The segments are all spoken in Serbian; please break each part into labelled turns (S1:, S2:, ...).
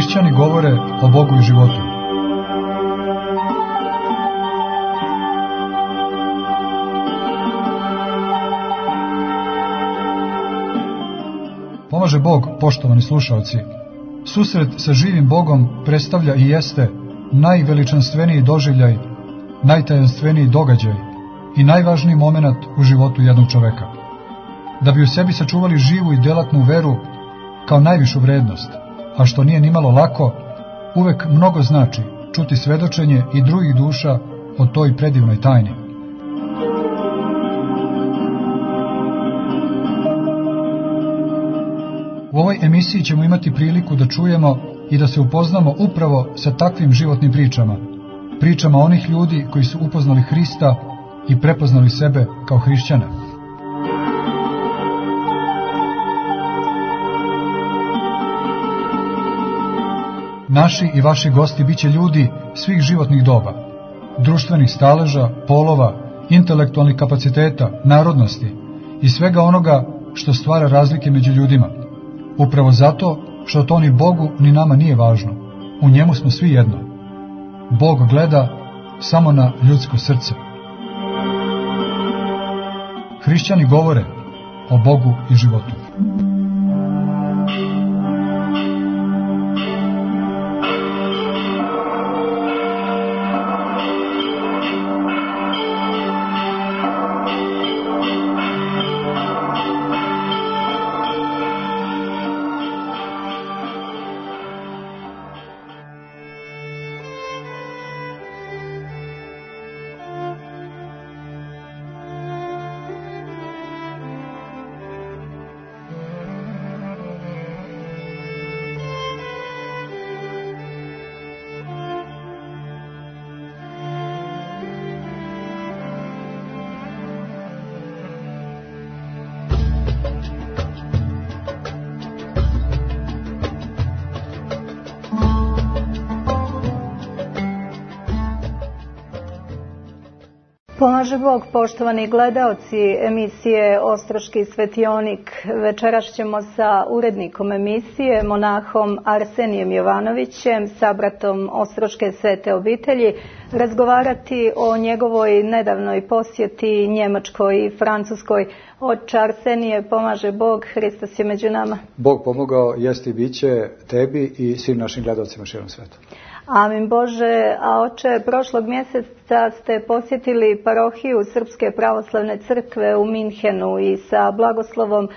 S1: Hrišćani govore o Bogu i životu. Pomaže Bog, poštovani slušalci. Susret sa živim Bogom predstavlja i jeste najveličanstveniji doživljaj, najtajanstveniji događaj i najvažniji moment u životu jednog čoveka. Da bi u sebi sačuvali živu i delatnu veru kao najvišu vrednost, a što nije nimalo lako, uvek mnogo znači čuti svedočenje i drugih duša o toj predivnoj tajni. U ovoj emisiji ćemo imati priliku da čujemo i da se upoznamo upravo sa takvim životnim pričama, pričama onih ljudi koji su upoznali Hrista i prepoznali sebe kao hrišćane. Naši i vaši gosti biće ljudi svih životnih doba, društvenih staleža, polova, intelektualnih kapaciteta, narodnosti i svega onoga što stvara razlike među ljudima. Upravo zato što to ni Bogu ni nama nije važno. U njemu smo svi jedno. Bog gleda samo na ljudsko srce. Hrišćani govore o Bogu i životu.
S2: Pomaže Bog, poštovani gledaoci emisije Ostroški svetionik. Večeras ćemo sa urednikom emisije, monahom Arsenijem Jovanovićem, sabratom Ostroške svete obitelji, razgovarati o njegovoj nedavnoj posjeti Njemačkoj i Francuskoj. Oče Arsenije, pomaže Bog, Hristos je među nama.
S3: Bog pomogao, jest i bit će tebi i svim našim gledaocima širom sveta.
S2: Amin Bože. A oče, prošlog mjeseca ste posjetili parohiju Srpske pravoslavne crkve u Minhenu i sa blagoslovom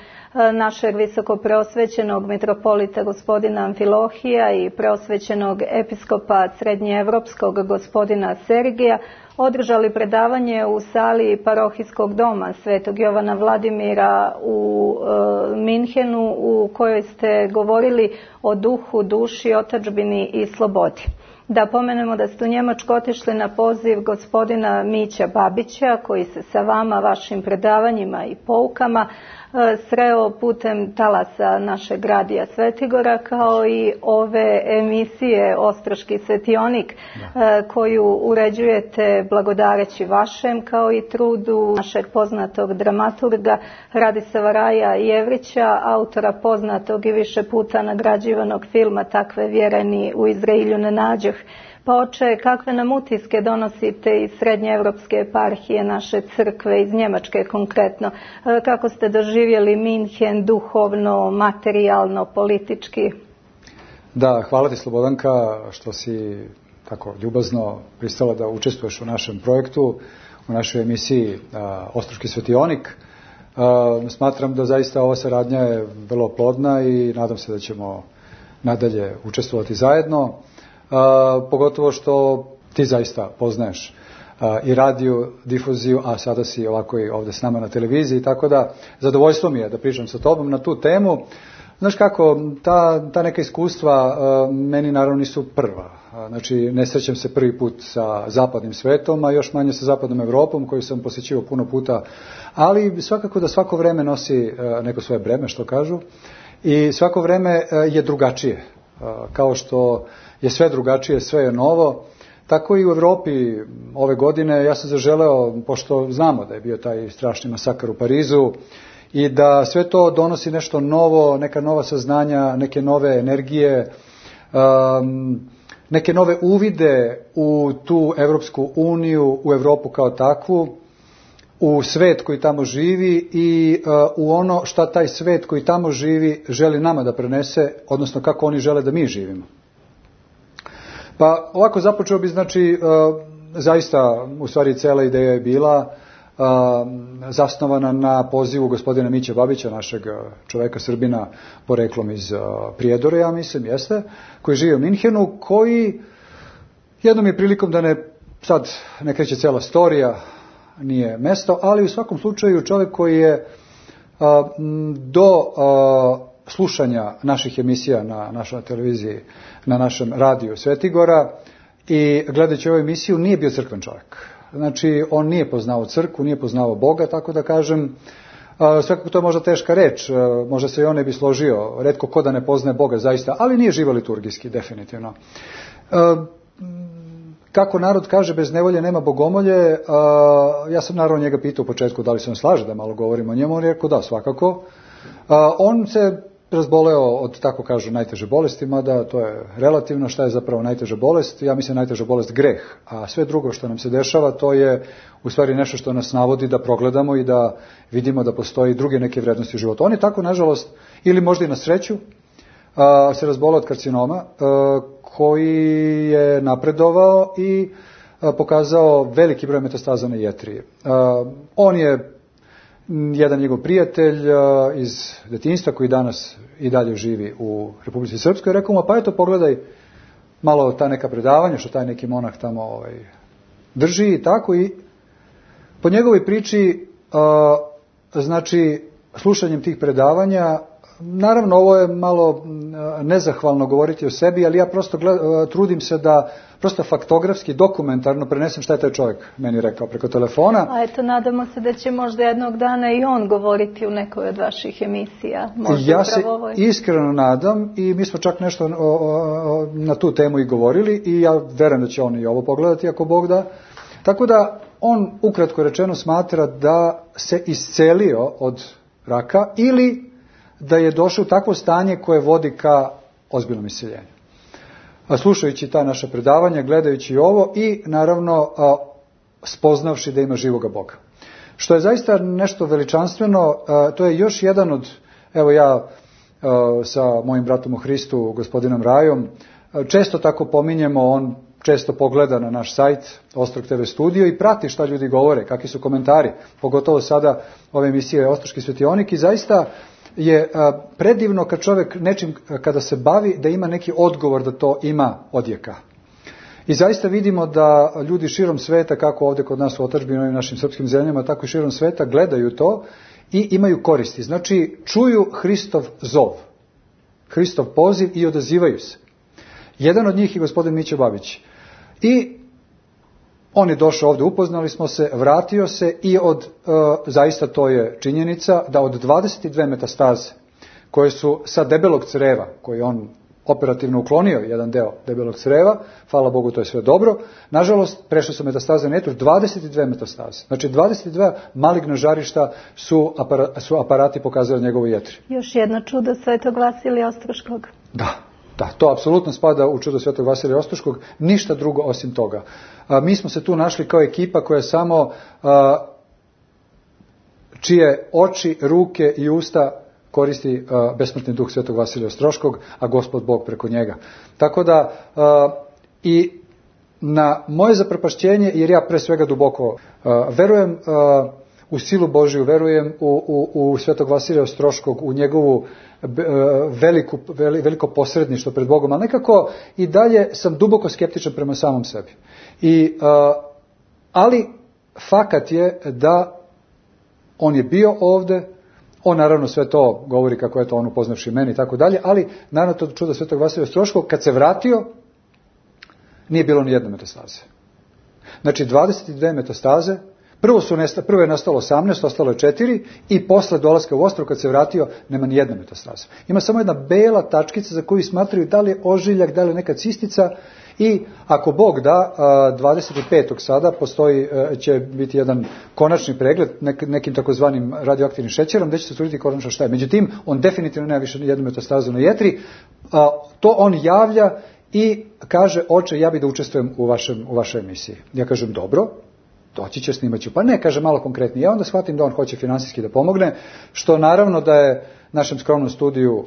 S2: našeg visokopreosvećenog mitropolita gospodina Amfilohija i preosvećenog episkopa srednjeevropskog gospodina Sergija održali predavanje u sali parohijskog doma Svetog Jovana Vladimira u Minhenu, u kojoj ste govorili o duhu, duši, otadžbini i slobodi. Da pomenemo da ste u Njemačku otišli na poziv gospodina Mića Babića, koji se sa vama, vašim predavanjima i poukama sreo putem talasa našeg radija Svetigora, kao i ove emisije Ostroški svetionik, koju uređujete blagodareći vašem, kao i trudu našeg poznatog dramaturga Radisava Raja Jevrića, autora poznatog i više puta nagrađivanog filma Takve vjereni u Izrailju ne nađoh. Pa oče, kakve nam utiske donosite iz srednjeevropske eparhije naše crkve, iz Njemačke konkretno? Kako ste doživjeli Minhen duhovno, materijalno, politički?
S3: Da, hvala ti Slobodanka što si tako ljubazno pristala da učestvuješ u našem projektu, u našoj emisiji Ostroški svetionik. Smatram da zaista ova saradnja je vrlo plodna i nadam se da ćemo nadalje učestvovati zajedno. Pogotovo što ti zaista poznaješ i radio difuziju, a sada si ovako i ovdje s nama na televiziji, tako da zadovoljstvo mi je da pričam sa tobom na tu temu. Znaš kako, ta neka iskustva meni naravno nisu prva. Znači, ne srećem se prvi put sa zapadnim svetom, a još manje sa zapadnom Evropom, koju sam posjećivao puno puta, ali svakako da svako vreme nosi neko svoje breme, što kažu, i svako vreme je drugačije. Kao što je sve drugačije, sve je novo, tako i u Evropi ove godine ja sam zaželeo, pošto znamo da je bio taj strašni masakar u Parizu i da sve to donosi nešto novo, neka nova saznanja, neke nove energije, neke nove uvide u tu Evropsku uniju, u Evropu kao takvu, u svet koji tamo živi i u ono šta taj svet koji tamo živi želi nama da prenese, odnosno kako oni žele da mi živimo. Pa ovako započeo bi, znači, zaista, u stvari, cela ideja je bila zasnovana na pozivu gospodina Miće Babića, našeg čoveka Srbina, poreklom iz Prijedora, ja mislim, jeste, koji živi u Minhenu, koji jednom je prilikom da sad ne kreće cela storija, nije mesto, ali u svakom slučaju čovjek koji je do slušanja naših emisija na našoj televiziji, na našem radiju Svetigora i gledajući ovu emisiju nije bio crkven čovjek. Znači, on nije poznao crkvu, nije poznao Boga, tako da kažem, svakako to je možda teška reč, možda se i on ne bi složio, retko ko da ne poznaje Boga zaista, ali nije živo liturgijski, definitivno. Kako narod kaže, bez nevolje nema bogomolje, ja sam naravno njega pitao u početku da li se on slaže da malo govorimo o njemu, on je rekao da, svakako. On se razboleo od, tako kažu, najteže bolesti, mada to je relativno. Šta je zapravo najteža bolest? Ja mislim najteža bolest greh, a sve drugo što nam se dešava to je u stvari nešto što nas navodi da progledamo i da vidimo da postoji druge neke vrednosti u životu. On je tako, nažalost, ili možda i na sreću, se razboleo od karcinoma, koji je napredovao i pokazao veliki broj metastaza na jetriji. On je jedan njegov prijatelj iz detinjstva koji danas i dalje živi u Republici Srpskoj, rekao mu, pa eto pogledaj malo ta neka predavanja što taj neki monah tamo drži i tako, i po njegovoj priči, znači slušanjem tih predavanja, naravno ovo je malo nezahvalno govoriti o sebi, ali ja prosto trudim se da prosto faktografski, dokumentarno prenesem šta je taj čovjek meni rekao preko telefona.
S2: A eto, nadamo se da će možda jednog dana i on govoriti u nekoj od vaših emisija. Možda
S3: ja se iskreno nadam i mi smo čak nešto na tu temu i govorili i ja verujem da će on i ovo pogledati ako Bog da. Tako da on, ukratko rečeno, smatra da se iscelio od raka ili da je došao u takvo stanje koje vodi ka ozbiljnom isceljenju. Slušajući ta naša predavanja, gledajući ovo i naravno spoznavši da ima živoga Boga. Što je zaista nešto veličanstveno, to je još jedan od, evo ja sa mojim bratom u Hristu, gospodinom Rajom, često tako pominjemo, on često pogleda na naš sajt Ostrog TV studio i prati šta ljudi govore, kakvi su komentari, pogotovo sada ove emisije Ostroški svetionik, i zaista je predivno kad čovjek nečim, kada se bavi, da ima neki odgovor, da to ima odjeka. I zaista vidimo da ljudi širom sveta, kako ovdje kod nas u otadžbini, u ovim našim srpskim zemljama, tako i širom sveta, gledaju to i imaju koristi. Znači, čuju Hristov zov, Hristov poziv i odazivaju se. Jedan od njih je gospodin Mića Babić. I on je došao ovdje, upoznali smo se, vratio se i zaista to je činjenica, da od 22 metastaze koje su sa debelog creva, koji on operativno uklonio jedan deo debelog creva, hvala Bogu, to je sve dobro, nažalost prešle su metastaze na jetru, 22 metastaze. Znači 22 maligna žarišta su aparati pokazali njegovu jetri.
S2: Još jedno čudo svetog Vasilija Ostroškog.
S3: Da, to apsolutno spada u čudo svetog Vasilija Ostroškog, ništa drugo osim toga. Mi smo se tu našli kao ekipa koja samo čije oči, ruke i usta koristi besmrtni duh svetog Vasilija Ostroškog, a Gospod Bog preko njega. Tako da i na moje zaprepašćenje, jer ja pre svega duboko verujem u silu Božiju, verujem u svetog Vasilija Ostroškog, u njegovu veliko posredništvo pred Bogom, ali nekako i dalje sam duboko skeptičan prema samom sebi. Ali fakat je da on je bio ovde, on naravno sve to govori kako je to on upoznavši meni i tako dalje, ali naravno to čudo svetog Vasilija Ostroškog, kad se vratio, nije bilo ni jedne metastaze. Znači 22 metastaze, prvo je nastalo 18, ostalo je 4 i posle dolaska u Ostrog, kad se vratio, nema ni jedne metastaze. Ima samo jedna bela tačkica za koju smatraju da li je ožiljak, da li je neka cistica I ako Bog da, 25. sada će biti jedan konačni pregled nekim takozvanim radioaktivnim šećerom, gde će se utvrditi konačno šta je. Međutim, on definitivno nema više jednu metastazu na jetri, to on javlja i kaže, oče, ja bih da učestvujem u vašoj emisiji. Ja kažem, dobro, doći će, snimat ću. Pa ne, kaže malo konkretnije. Ja onda shvatim da on hoće finansijski da pomogne, što naravno da je našem skromnom studiju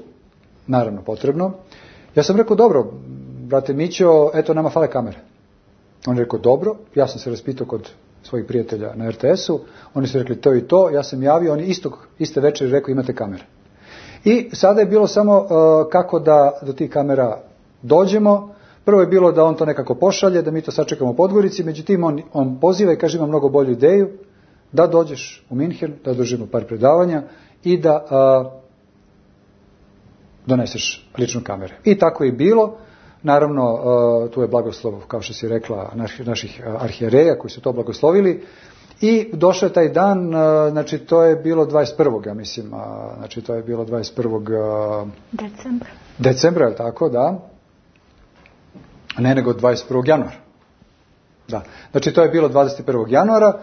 S3: naravno potrebno. Ja sam rekao, dobro, brate Mićo, eto nama fale kamere. On je rekao, dobro, ja sam se raspitao kod svojih prijatelja na RTS-u, oni su rekli to i to, ja sam javio, oni iste večeri rekao imate kamere. I sada je bilo samo kako da do tih kamera dođemo. Prvo je bilo da on to nekako pošalje, da mi to sačekamo u Podgorici, međutim on poziva i kaže ima mnogo bolju ideju da dođeš u Minhen, da držimo par predavanja i da doneseš ličnu kamere. I tako je bilo. Naravno, tu je blagoslov, kao što si rekla, naših arhijereja koji su to blagoslovili. I došao je taj dan, znači to je bilo 21. ja mislim, znači to je bilo 21. Decembra, je li tako, da? Ne, nego 21. januara. Da. Znači to je bilo 21. januara.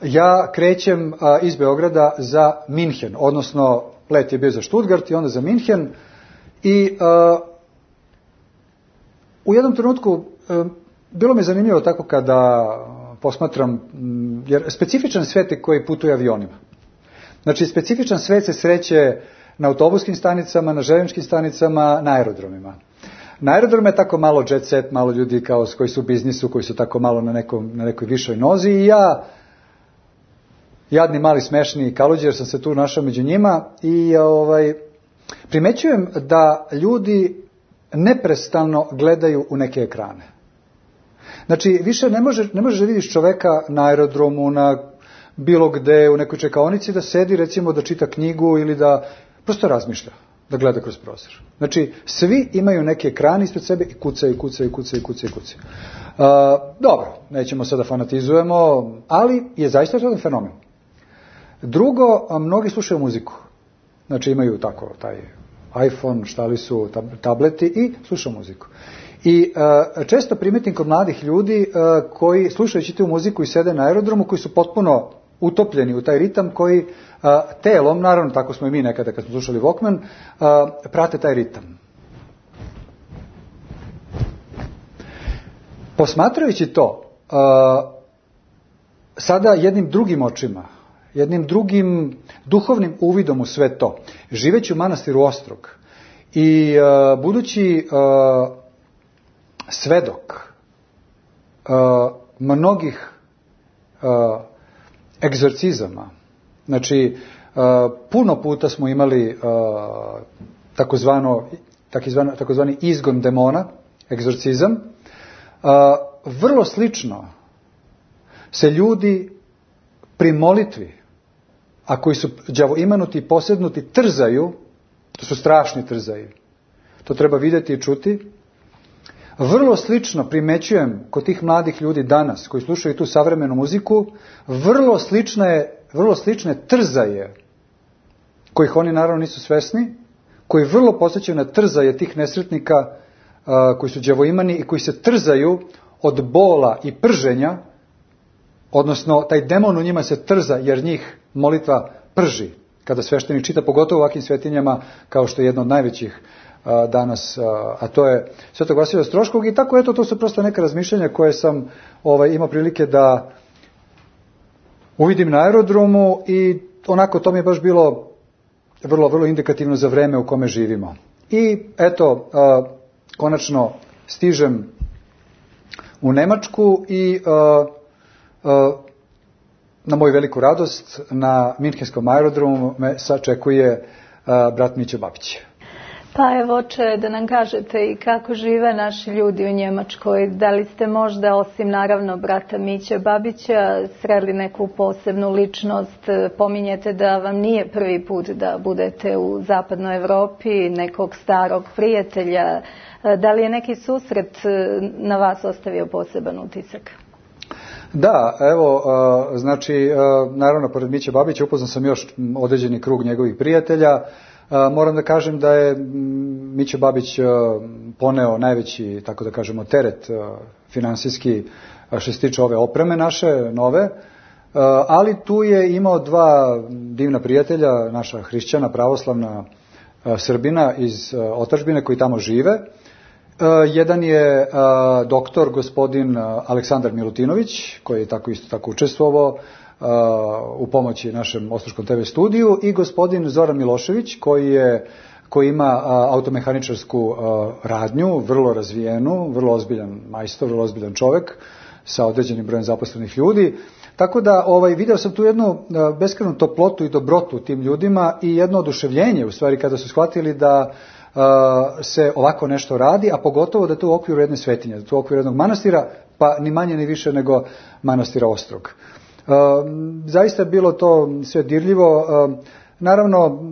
S3: Ja krećem iz Beograda za Minhen, odnosno let je bio za Stuttgart i onda za Minhen. I u jednom trenutku bilo mi je zanimljivo tako kada posmatram, jer specifičan svet je koji putuje avionima. Znači specifičan svet se sreće na autobuskim stanicama, na željezničkim stanicama, na aerodromima. Na aerodromu je tako malo jet set, malo ljudi koji su u biznisu, koji su tako malo na nekoj višoj nozi i ja, jadni mali smešni kaluđer, sam se tu našao među njima i primećujem da ljudi neprestano gledaju u neke ekrane. Znači, više ne možeš da vidiš čoveka na aerodromu, na bilo gde, u nekoj čekaonici, da sedi, recimo, da čita knjigu ili da prosto razmišlja, da gleda kroz prozor. Znači, svi imaju neke ekrane ispred sebe i kucaju. Dobro, nećemo sada fanatizujemo, ali je zaista to fenomen. Drugo, mnogi slušaju muziku. Znači, imaju tako taj iPhone, štali su tableti i slušaju muziku. I često primetim kod mladih ljudi koji slušajući tu muziku i sede na aerodromu, koji su potpuno utopljeni u taj ritam, koji telom, naravno tako smo i mi nekada kad smo slušali Walkman, prate taj ritam. Posmatrajući to, sada jednim drugim očima, jednim drugim duhovnim uvidom u sve to, živeći u manastiru Ostrog i budući svedok mnogih egzorcizama, znači puno puta smo imali takozvani izgon demona, egzorcizam, vrlo slično se ljudi pri molitvi, a koji su đavoimanuti i posednuti, trzaju, to su strašni trzaji, to treba vidjeti i čuti. Vrlo slično primećujem kod tih mladih ljudi danas, koji slušaju tu savremenu muziku, vrlo slične trzaje, kojih oni naravno nisu svesni, koji vrlo podsjećaju na trzaje tih nesretnika koji su đavoimani i koji se trzaju od bola i prženja, odnosno taj demon u njima se trza jer njih molitva prži kada sveštenik čita, pogotovo u ovakvim svetinjama kao što je jedno od najvećih danas, a to je Svetog Vasilija Ostroškog. I tako, eto, to su prosto neka razmišljanja koje sam imao prilike da uvidim na aerodromu i onako to mi je baš bilo vrlo, vrlo indikativno za vreme u kome živimo. I eto, konačno stižem u Nemačku i na moju veliku radost na Minhenskom aerodromu me sačekuje brat Mićo Babić.
S2: Pa evo, oče, da nam kažete i kako žive naši ljudi u Njemačkoj. Da li ste možda, osim naravno brata Miće Babića, sreli neku posebnu ličnost? Pominjete da vam nije prvi put da budete u zapadnoj Evropi, nekog starog prijatelja. Da li je neki susret na vas ostavio poseban utisak?
S3: Da, evo, znači, naravno, pored Miće Babića upoznao sam još određeni krug njegovih prijatelja. Moram da kažem da je Mićo Babić poneo najveći, tako da kažemo, teret finansijski što se tiče ove opreme naše, nove, ali tu je imao dva divna prijatelja, naša hrišćana, pravoslavna Srbina iz otadžbine koji tamo žive. Jedan je doktor, gospodin Aleksandar Milutinović, koji je isto tako učestvovao u pomoći našem Ostroškom TV studiju, i gospodin Zoran Milošević, koji ima automehaničarsku radnju, vrlo razvijenu, vrlo ozbiljan majstor, vrlo ozbiljan čovek sa određenim brojem zaposlenih ljudi. Tako da video sam tu jednu beskrajnu toplotu i dobrotu tim ljudima i jedno oduševljenje u stvari kada su shvatili da se ovako nešto radi, a pogotovo da je to u okviru jedne svetinje, da je to u okviru jednog manastira, pa ni manje ni više nego manastira Ostrog. Zaista je bilo to sve dirljivo. Naravno,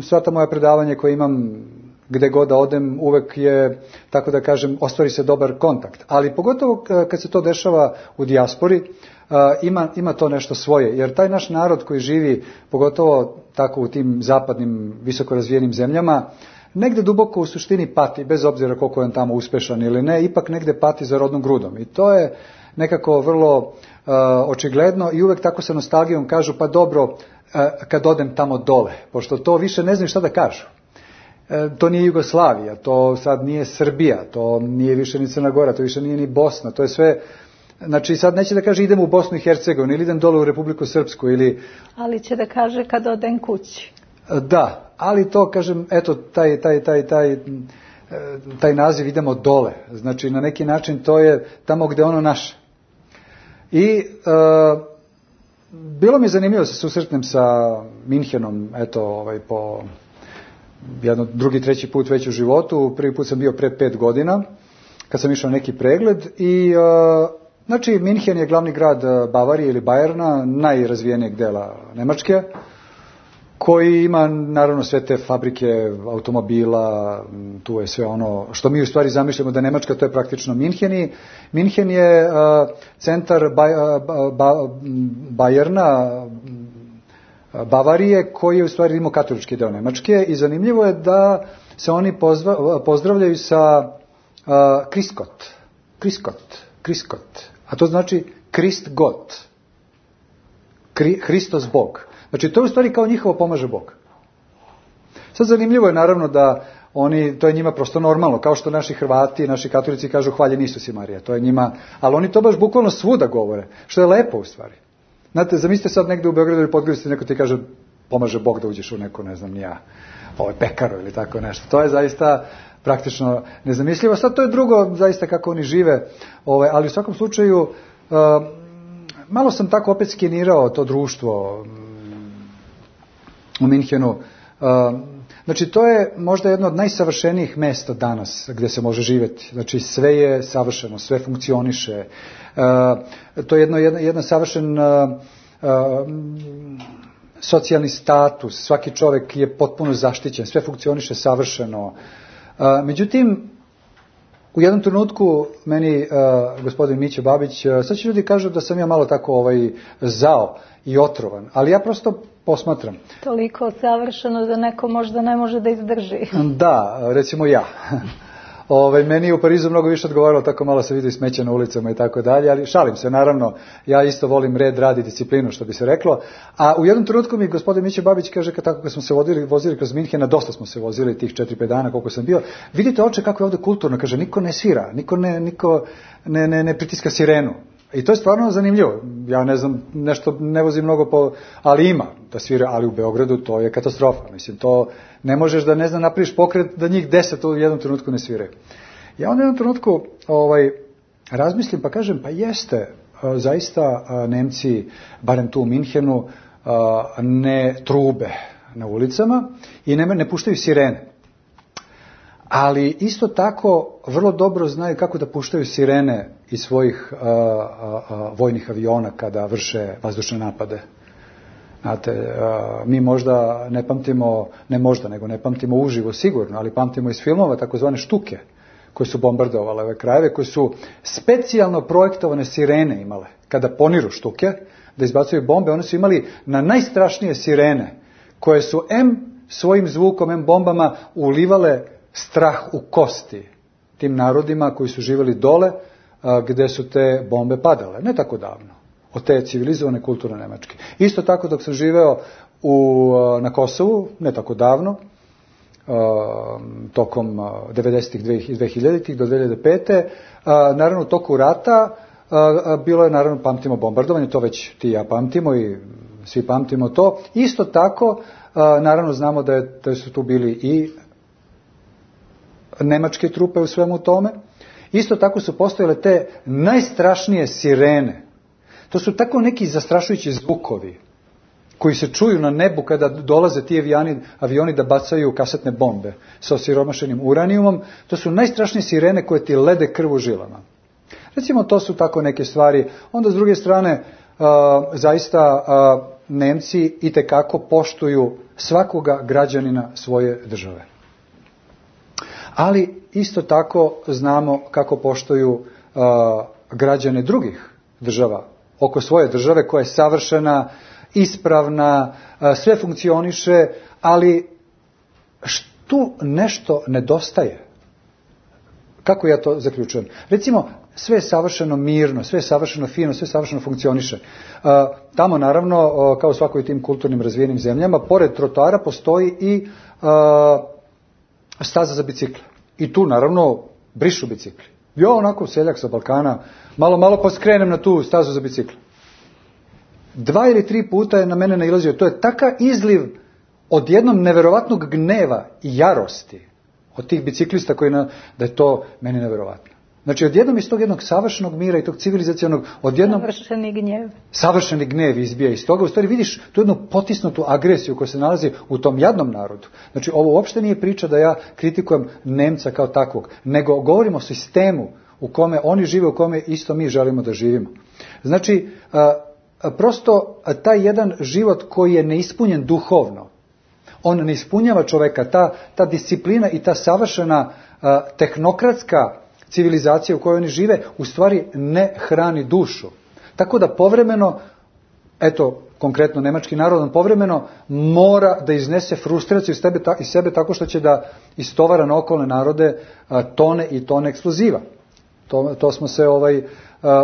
S3: sva ta moja predavanja koje imam gde god da odem, uvek je, tako da kažem, ostvari se dobar kontakt. Ali pogotovo kad se to dešava u dijaspori, ima to nešto svoje, jer taj naš narod koji živi, pogotovo tako u tim zapadnim, visoko razvijenim zemljama, negde duboko u suštini pati, bez obzira koliko je on tamo uspešan ili ne, ipak negde pati za rodnom grudom. I to je nekako vrlo očigledno i uvek tako sa nostalgijom kažu, pa dobro, kad odem tamo dole, pošto to više ne znaju šta da kažu. To nije Jugoslavija, to sad nije Srbija, to nije više ni Crna Gora, to više nije ni Bosna, to je sve. Znači sad neće da kaže idem u Bosnu i Hercegovinu ili idem dole u Republiku Srpsku ili...
S2: Ali će da kaže kad odem kući.
S3: Da, ali to kažem, eto, taj naziv idemo dole. Znači na neki način to je tamo gde ono naše. I bilo mi je zanimljivo se susretnem sa Minhenom, eto, po drugi, treći put već u životu. Prvi put sam bio pre 5 godina, kad sam išao na neki pregled i... Znači, Minhen je glavni grad Bavarije ili Bajerna, najrazvijenijeg dela Nemačke, koji ima, naravno, sve te fabrike automobila, tu je sve ono što mi u stvari zamišljamo da Nemačka, to je praktično Minhen. Minhen je centar Bajerna, Bavarije, koji je u stvari rimokatolički deo Nemačke i zanimljivo je da se oni pozdravljaju sa Kriskot. A to znači Krist God. Hristos Bog. Znači to je u stvari kao njihovo pomaže Bog. Sad zanimljivo je naravno da to je njima prosto normalno, kao što naši Hrvati, naši katolici kažu hvaljen Isus i Marija, to je njima, ali oni to baš bukvalno svuda govore, što je lepo u stvari. Znate, zamislite sad negde u Beogradu ili Podgorici neko ti kaže pomaže Bog da uđeš u neko, ne znam ni ja, pekaru ili tako nešto. To je zaista praktično nezamislivo. Sad to je drugo zaista kako oni žive, ali u svakom slučaju malo sam tako opet skenirao to društvo u Minhenu. Znači to je možda jedno od najsavršenijih mesta danas gde se može živjeti. Znači sve je savršeno, sve funkcioniše. To je jedan savršen socijalni status, svaki čovjek je potpuno zaštićen, sve funkcioniše savršeno. Međutim, u jednom trenutku meni gospodin Mićo Babić, sad će ljudi kažu da sam ja malo tako zao i otrovan, ali ja prosto posmatram.
S2: Toliko savršeno da neko možda ne može da izdrži.
S3: Da, recimo ja. Meni je u Parizu mnogo više odgovaralo, tako malo se vidi smeće na ulicama i tako dalje, ali šalim se, naravno, ja isto volim red, rad i disciplinu, što bi se reklo, a u jednom trenutku mi gospodin Mićo Babić kaže, kad smo se vozili kroz Minhena, dosta smo se vozili tih 4-5 dana koliko sam bio, vidite oče kako je ovdje kulturno, kaže, niko ne svira, niko ne pritiska sirenu. I to je stvarno zanimljivo. Ja ne znam, nešto ne vozim mnogo ali ima da svira, ali u Beogradu to je katastrofa. Mislim, to ne možeš da napraviš pokret da njih 10 u jednom trenutku ne sviraju. Ja onda u jednom trenutku razmislim pa kažem, pa jeste, zaista Nemci, barem tu u Minhenu, ne trube na ulicama i ne puštaju sirene. Ali isto tako vrlo dobro znaju kako da puštaju sirene iz svojih vojnih aviona kada vrše vazdušne napade. Znate, mi možda ne pamtimo, ne pamtimo uživo sigurno, ali pamtimo iz filmova takozvane štuke koje su bombardovale ove krajeve, koje su specijalno projektovane sirene imale. Kada poniru štuke, da izbacuju bombe, one su imali na najstrašnije sirene, koje su svojim zvukom, bombama ulivale strah u kosti tim narodima koji su živjeli dole gde su te bombe padale, ne tako davno, od te civilizovane kulturne Nemačke. Isto tako dok sam živeo na Kosovu, ne tako davno, tokom 90-ih i 2000-ih do 2005. Naravno u toku rata bilo je, naravno, pamtimo bombardovanje, to već ti i ja pamtimo i svi pamtimo to. Isto tako, naravno znamo da su tu bili i nemačke trupe u svemu tome. Isto tako su postojale te najstrašnije sirene. To su tako neki zastrašujući zvukovi koji se čuju na nebu kada dolaze ti avioni da bacaju kasetne bombe sa osiromašenim uranijumom. To su najstrašnije sirene koje ti lede krv u žilama. Recimo, to su tako neke stvari. Onda, s druge strane, zaista Nemci itekako poštuju svakoga građanina svoje države. Ali isto tako znamo kako poštuju građane drugih država oko svoje države koja je savršena, ispravna, sve funkcioniše, ali tu nešto nedostaje. Kako ja to zaključujem? Recimo, sve je savršeno mirno, sve je savršeno fino, sve savršeno funkcioniše. Tamo, naravno, kao u svakoj tim kulturnim razvijenim zemljama, pored trotoara postoji i staza za bicikle. I tu, naravno, brišu bicikli. Ja, onako, seljak sa Balkana, malo pa skrenem na tu stazu za bicikle. 2 ili 3 puta je na mene nailazio. To je takav izliv od jednom neverovatnog gneva i jarosti od tih biciklista da je to meni neverovatno. Znači, odjednom iz tog jednog savršenog mira i tog civilizacionog, odjednom savršeni gnjev izbija iz toga. U stvari vidiš tu jednu potisnutu agresiju koja se nalazi u tom jadnom narodu. Znači, ovo uopšte nije priča da ja kritikujem Nemca kao takvog, nego govorimo o sistemu u kome oni žive, u kome isto mi želimo da živimo. Znači, prosto taj jedan život koji je neispunjen duhovno, on ne ispunjava čoveka, ta disciplina i ta savršena tehnokratska civilizacija u kojoj oni žive, u stvari ne hrani dušu. Tako da povremeno, eto, konkretno nemački narod, on povremeno mora da iznese frustraciju iz sebe tako što će da istovara na okolne narode tone i tone eksploziva. To smo se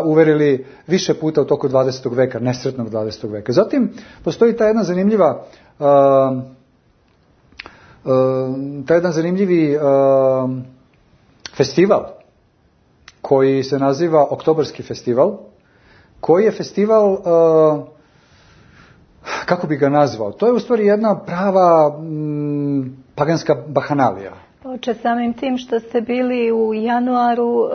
S3: uverili više puta u toku 20. veka, nesretnog 20. veka. Zatim, postoji ta jedna zanimljivi festival koji se naziva Oktobarski festival, koji je festival, kako bi ga nazvao, to je u stvari jedna prava paganska bahanalija.
S2: Oče, samim tim što ste bili u januaru,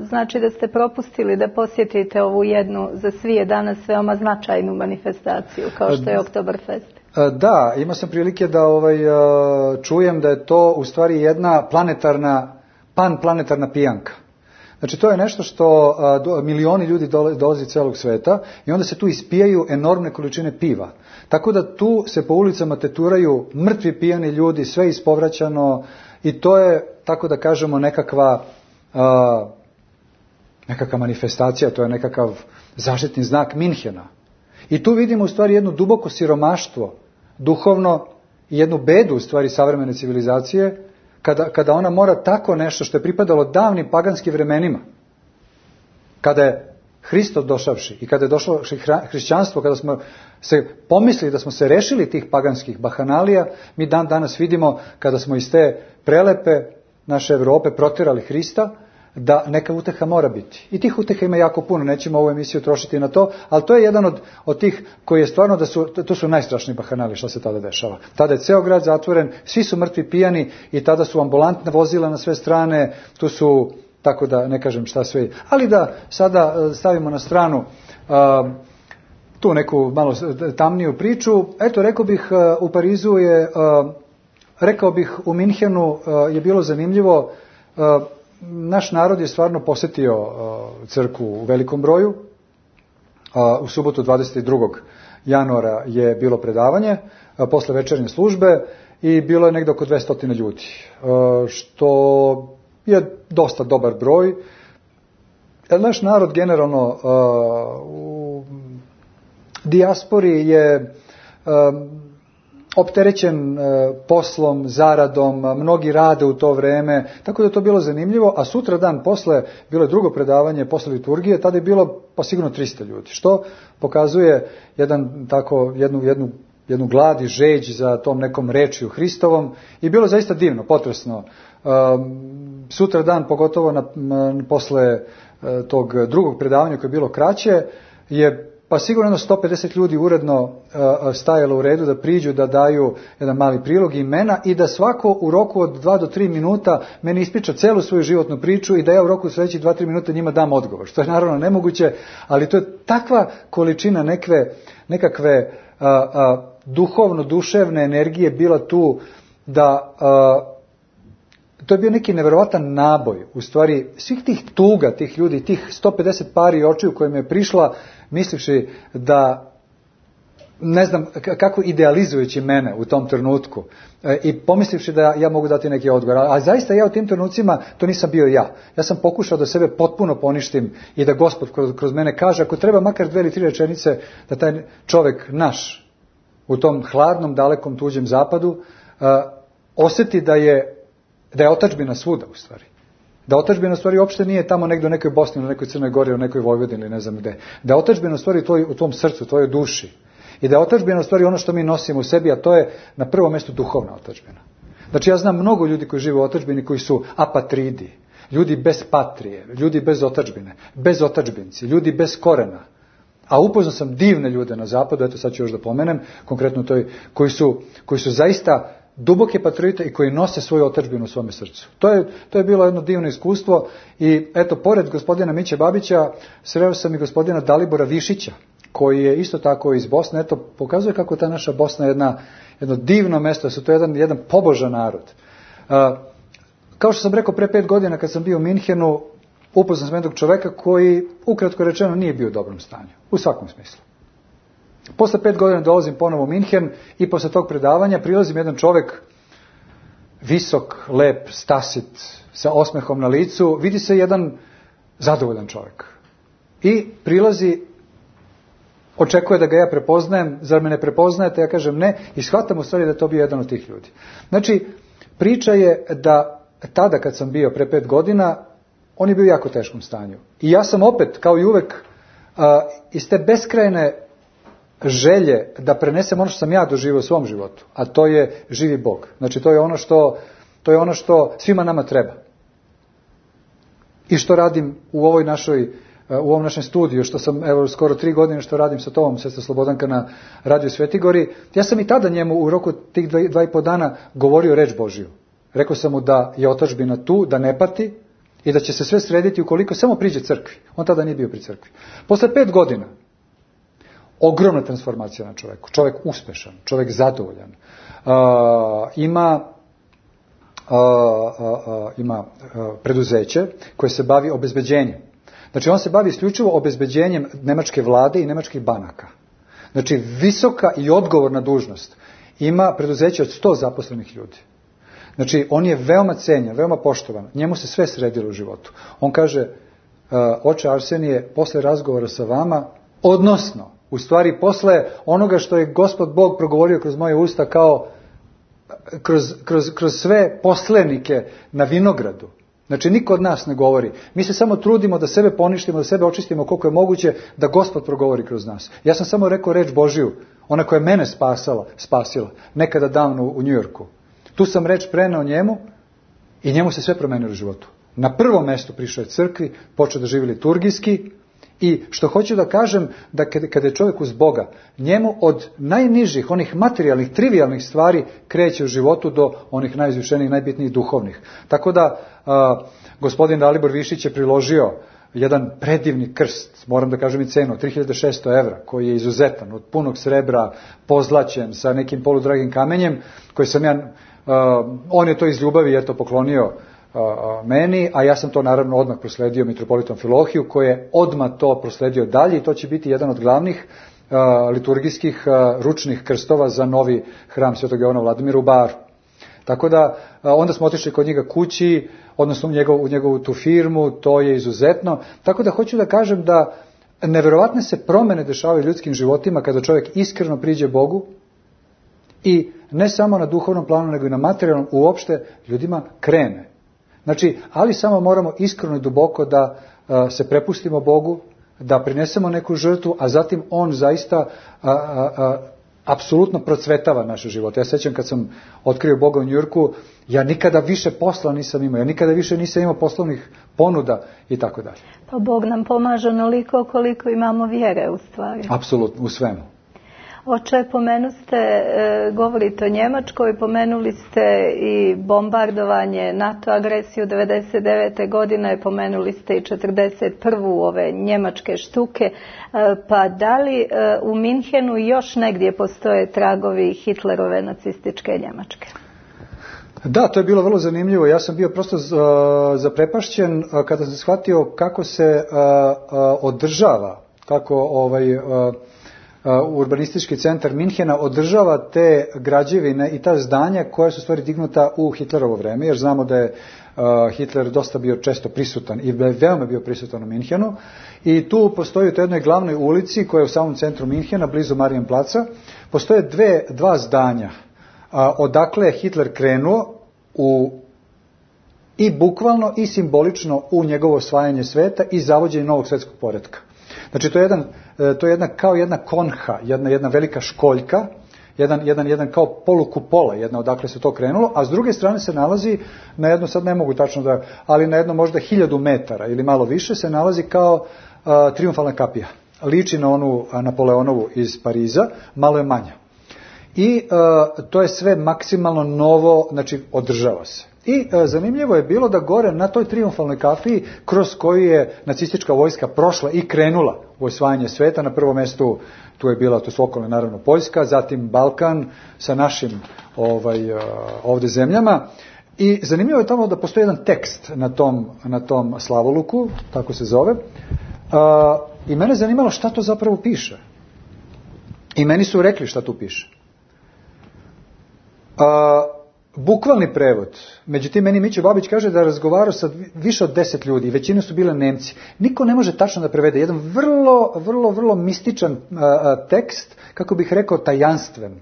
S2: znači da ste propustili da posjetite ovu jednu za svi danas veoma značajnu manifestaciju, kao što je Oktoberfest.
S3: Da, imao sam prilike da čujem da je to u stvari jedna panplanetarna pijanka. Znači, to je nešto što milioni ljudi dolazi iz celog sveta i onda se tu ispijaju enormne količine piva. Tako da tu se po ulicama teturaju mrtvi pijani ljudi, sve ispovraćano i to je, tako da kažemo, nekakva manifestacija, to je nekakav zaštitni znak Minhena. I tu vidimo u stvari jedno duboko siromaštvo, duhovno, i jednu bedu u stvari savremene civilizacije, kada ona mora tako nešto što je pripadalo davnim paganskim vremenima, kada je Hristos došavši i kada je došlo hrišćanstvo, kada smo se pomislili da smo se rešili tih paganskih bahanalija, mi danas vidimo, kada smo iz te prelepe naše Evrope proterali Hrista, da neka uteha mora biti. I tih uteha ima jako puno, nećemo ovu emisiju trošiti na to, ali to je jedan od tih koji je stvarno to su najstrašniji bahanali što se tada dešava. Tada je ceo grad zatvoren, svi su mrtvi pijani i tada su ambulantna vozila na sve strane, tu su, tako da ne kažem šta sve. Ali da sada stavimo na stranu tu neku malo tamniju priču. Eto, rekao bih, u Parizu je, rekao bih, u Minhenu je bilo zanimljivo. Naš narod je stvarno posetio crkvu u velikom broju. U subotu 22. januara je bilo predavanje posle večernje službe i bilo je negde oko 200 ljudi, što je dosta dobar broj. Naš narod generalno u dijaspori je opterećen poslom, zaradom, mnogi rade u to vreme, tako da je to bilo zanimljivo, a sutra dan posle bilo je drugo predavanje posle liturgije, tada je bilo pa sigurno 300 ljudi, što pokazuje jednu glad i žeđ za tom nekom rečju Hristovom i bilo zaista divno, potresno. Sutra dan, pogotovo posle tog drugog predavanja koje je bilo kraće, je pa sigurno 150 ljudi uredno stajalo u redu da priđu, da daju jedan mali prilog imena i da svako u roku od 2 do 3 minuta meni ispriča celu svoju životnu priču i da ja u roku sledećih 2-3 minuta njima dam odgovor, što je naravno nemoguće, ali to je takva količina nekakve duhovno-duševne energije bila tu da to je bio neki neverovatan naboj, u stvari svih tih tuga, tih ljudi, tih 150 pari očiju kojima je prišla, mislivši da, ne znam kako idealizujući mene u tom trenutku i pomislivši da ja mogu dati neki odgovor, a zaista ja u tim trenucima to nisam bio ja. Ja sam pokušao da sebe potpuno poništim i da Gospod kroz mene kaže, ako treba makar 2 ili 3 rečenice, da taj čovek naš u tom hladnom, dalekom, tuđem zapadu osjeti da je otadžbina svuda u stvari. Da otadžbina u stvari uopšte nije tamo negdje u nekoj Bosni, u nekoj Crnoj Gori, u nekoj Vojvodini ili ne znam gde. Da otadžbina u stvari u tvom srcu, u tvojoj duši. I da otadžbina u stvari ono što mi nosimo u sebi, a to je na prvom mjestu duhovna otadžbina. Znači ja znam mnogo ljudi koji žive u otadžbini koji su apatridi, ljudi bez patrije, ljudi bez otadžbine, bez otadžbinci, ljudi bez korena. A upoznao sam divne ljude na zapadu, eto sad ću još da pomenem, konkretno koji su zaista duboke patriote i koji nose svoju otadžbinu u svome srcu. To je bilo jedno divno iskustvo i eto, pored gospodina Miće Babića, sreo sam i gospodina Dalibora Višića, koji je isto tako iz Bosne. Eto, pokazuje kako ta naša Bosna je jedno divno mesto, da su to jedan pobožan narod. Kao što sam rekao, pre 5 godina kad sam bio u Minhenu, upoznao sam jednog čoveka koji, ukratko rečeno, nije bio u dobrom stanju. U svakom smislu. Posle 5 godina dolazim ponovo u Minhen i posle tog predavanja prilazim jedan čovek, visok, lep, stasit, sa osmehom na licu, vidi se jedan zadovoljan čovek. I prilazi, očekuje da ga ja prepoznajem, zar me ne prepoznajete? Ja kažem ne i shvatam u stvari da to bio jedan od tih ljudi. Znači, priča je da tada kad sam bio pre 5 godina, on je bio u jako teškom stanju. I ja sam opet, kao i uvek, iz te beskrajne želje da prenesem ono što sam ja doživio u svom životu, a to je živi Bog. Znači, to je ono što svima nama treba. I što radim u ovom našem studiju, što sam, evo, skoro 3 godine što radim sa tobom, sestra Slobodanka, na Radio Svetigori, ja sam i tada njemu u roku tih 2,5 dana govorio reč Božiju. Rekao sam mu da je otadžbina tu, da ne pati i da će se sve srediti ukoliko samo priđe crkvi. On tada nije bio pri crkvi. Posle 5 godina, ogromna transformacija na čoveku. Čovek uspešan, čovek zadovoljan. Ima preduzeće koje se bavi obezbeđenjem. Znači, on se bavi isključivo obezbeđenjem nemačke vlade i nemačkih banaka. Znači, visoka i odgovorna dužnost. Ima preduzeće od 100 zaposlenih ljudi. Znači, on je veoma cenjen, veoma poštovan. Njemu se sve sredilo u životu. On kaže, oče Arsenije, posle razgovora sa vama, odnosno, u stvari posle onoga što je Gospod Bog progovorio kroz moje usta kao kroz sve poslenike na vinogradu. Znači, niko od nas ne govori. Mi se samo trudimo da sebe poništimo, da sebe očistimo koliko je moguće, da Gospod progovori kroz nas. Ja sam samo rekao reč Božiju, ona koja je mene spasila, nekada davno u Njujorku. Tu sam reč preneo njemu i njemu se sve promenilo u životu. Na prvom mestu prišao je crkvi, počeo da živi liturgijski i što hoću da kažem, da kada je čovjek uz Boga, njemu od najnižih, onih materijalnih, trivialnih stvari kreće u životu do onih najizvišenijih, najbitnijih duhovnih. Tako da gospodin Dalibor Višić je priložio jedan predivni krst, moram da kažem i cenu, 3600 evra, koji je izuzetan, od punog srebra, pozlaćen, sa nekim poludragim kamenjem, koji sam on je to iz ljubavi poklonio meni, a ja sam to naravno odmah prosledio mitropolitu Amfilohiju, koji je odmah to prosledio dalje i to će biti jedan od glavnih liturgijskih ručnih krstova za novi hram Svetog Jovana Vladimira u Baru. Tako da, onda smo otišli kod njega kući, odnosno u njegovu tu firmu, to je izuzetno. Tako da hoću da kažem da neverovatne se promene dešavaju ljudskim životima kada čovjek iskreno priđe Bogu i ne samo na duhovnom planu, nego i na materijalnom uopšte ljudima krene. Znači, ali samo moramo iskreno i duboko da se prepustimo Bogu, da prinesemo neku žrtvu, a zatim On zaista apsolutno procvetava naše živote. Ja sećam kad sam otkrio Boga u Njujorku, ja nikada više posla nisam imao, ja nikada više nisam imao poslovnih ponuda i tako dalje.
S2: Pa Bog nam pomaže onoliko koliko imamo vjere u stvari.
S3: Apsolutno, u svemu.
S2: Oče, govorite o Njemačkoj, pomenuli ste i bombardovanje, NATO agresiju 1999. godine, pomenuli ste i 1941. ove njemačke štuke, pa da li u Minhenu još negdje postoje tragovi Hitlerove nacističke Njemačke?
S3: Da, to je bilo vrlo zanimljivo. Ja sam bio prosto zaprepašćen kada sam shvatio kako se održava, kako urbanistički centar Minhena održava te građevine i ta zdanja koja su stvari dignuta u Hitlerovo vreme, jer znamo da je Hitler dosta bio često prisutan i veoma bio prisutan u Minhenu. I tu postoji u toj jednoj glavnoj ulici koja je u samom centru Minhena, blizu Marienplaca, postoje dva zdanja odakle je Hitler krenuo i bukvalno i simbolično u njegovo osvajanje sveta i zavođenje novog svjetskog poretka. Znači to je kao jedna konha, jedna velika školjka, jedan kao polukupola, jedna odakle se to krenulo, a s druge strane se nalazi na jedno, sad ne mogu tačno ali na jedno možda 1000 metara ili malo više se nalazi kao triumfalna kapija. Liči na onu Napoleonovu iz Pariza, malo je manja. I to je sve maksimalno novo, znači održava se. I zanimljivo je bilo da gore na toj triumfalnoj kapiji kroz koju je nacistička vojska prošla i krenula u osvajanje sveta, na prvom mjestu to su okolne naravno Poljska, zatim Balkan sa našim ovdje zemljama. I zanimljivo je tamo da postoji jedan tekst na tom slavoluku, tako se zove, i mene zanimalo šta to zapravo piše. I meni su rekli šta tu piše. Bukvalni prevod, međutim meni Mićo Babić kaže da je razgovarao sa više od 10 ljudi, većina su bile Nemci. Niko ne može tačno da prevede, jedan vrlo mističan tekst, kako bih rekao tajanstven,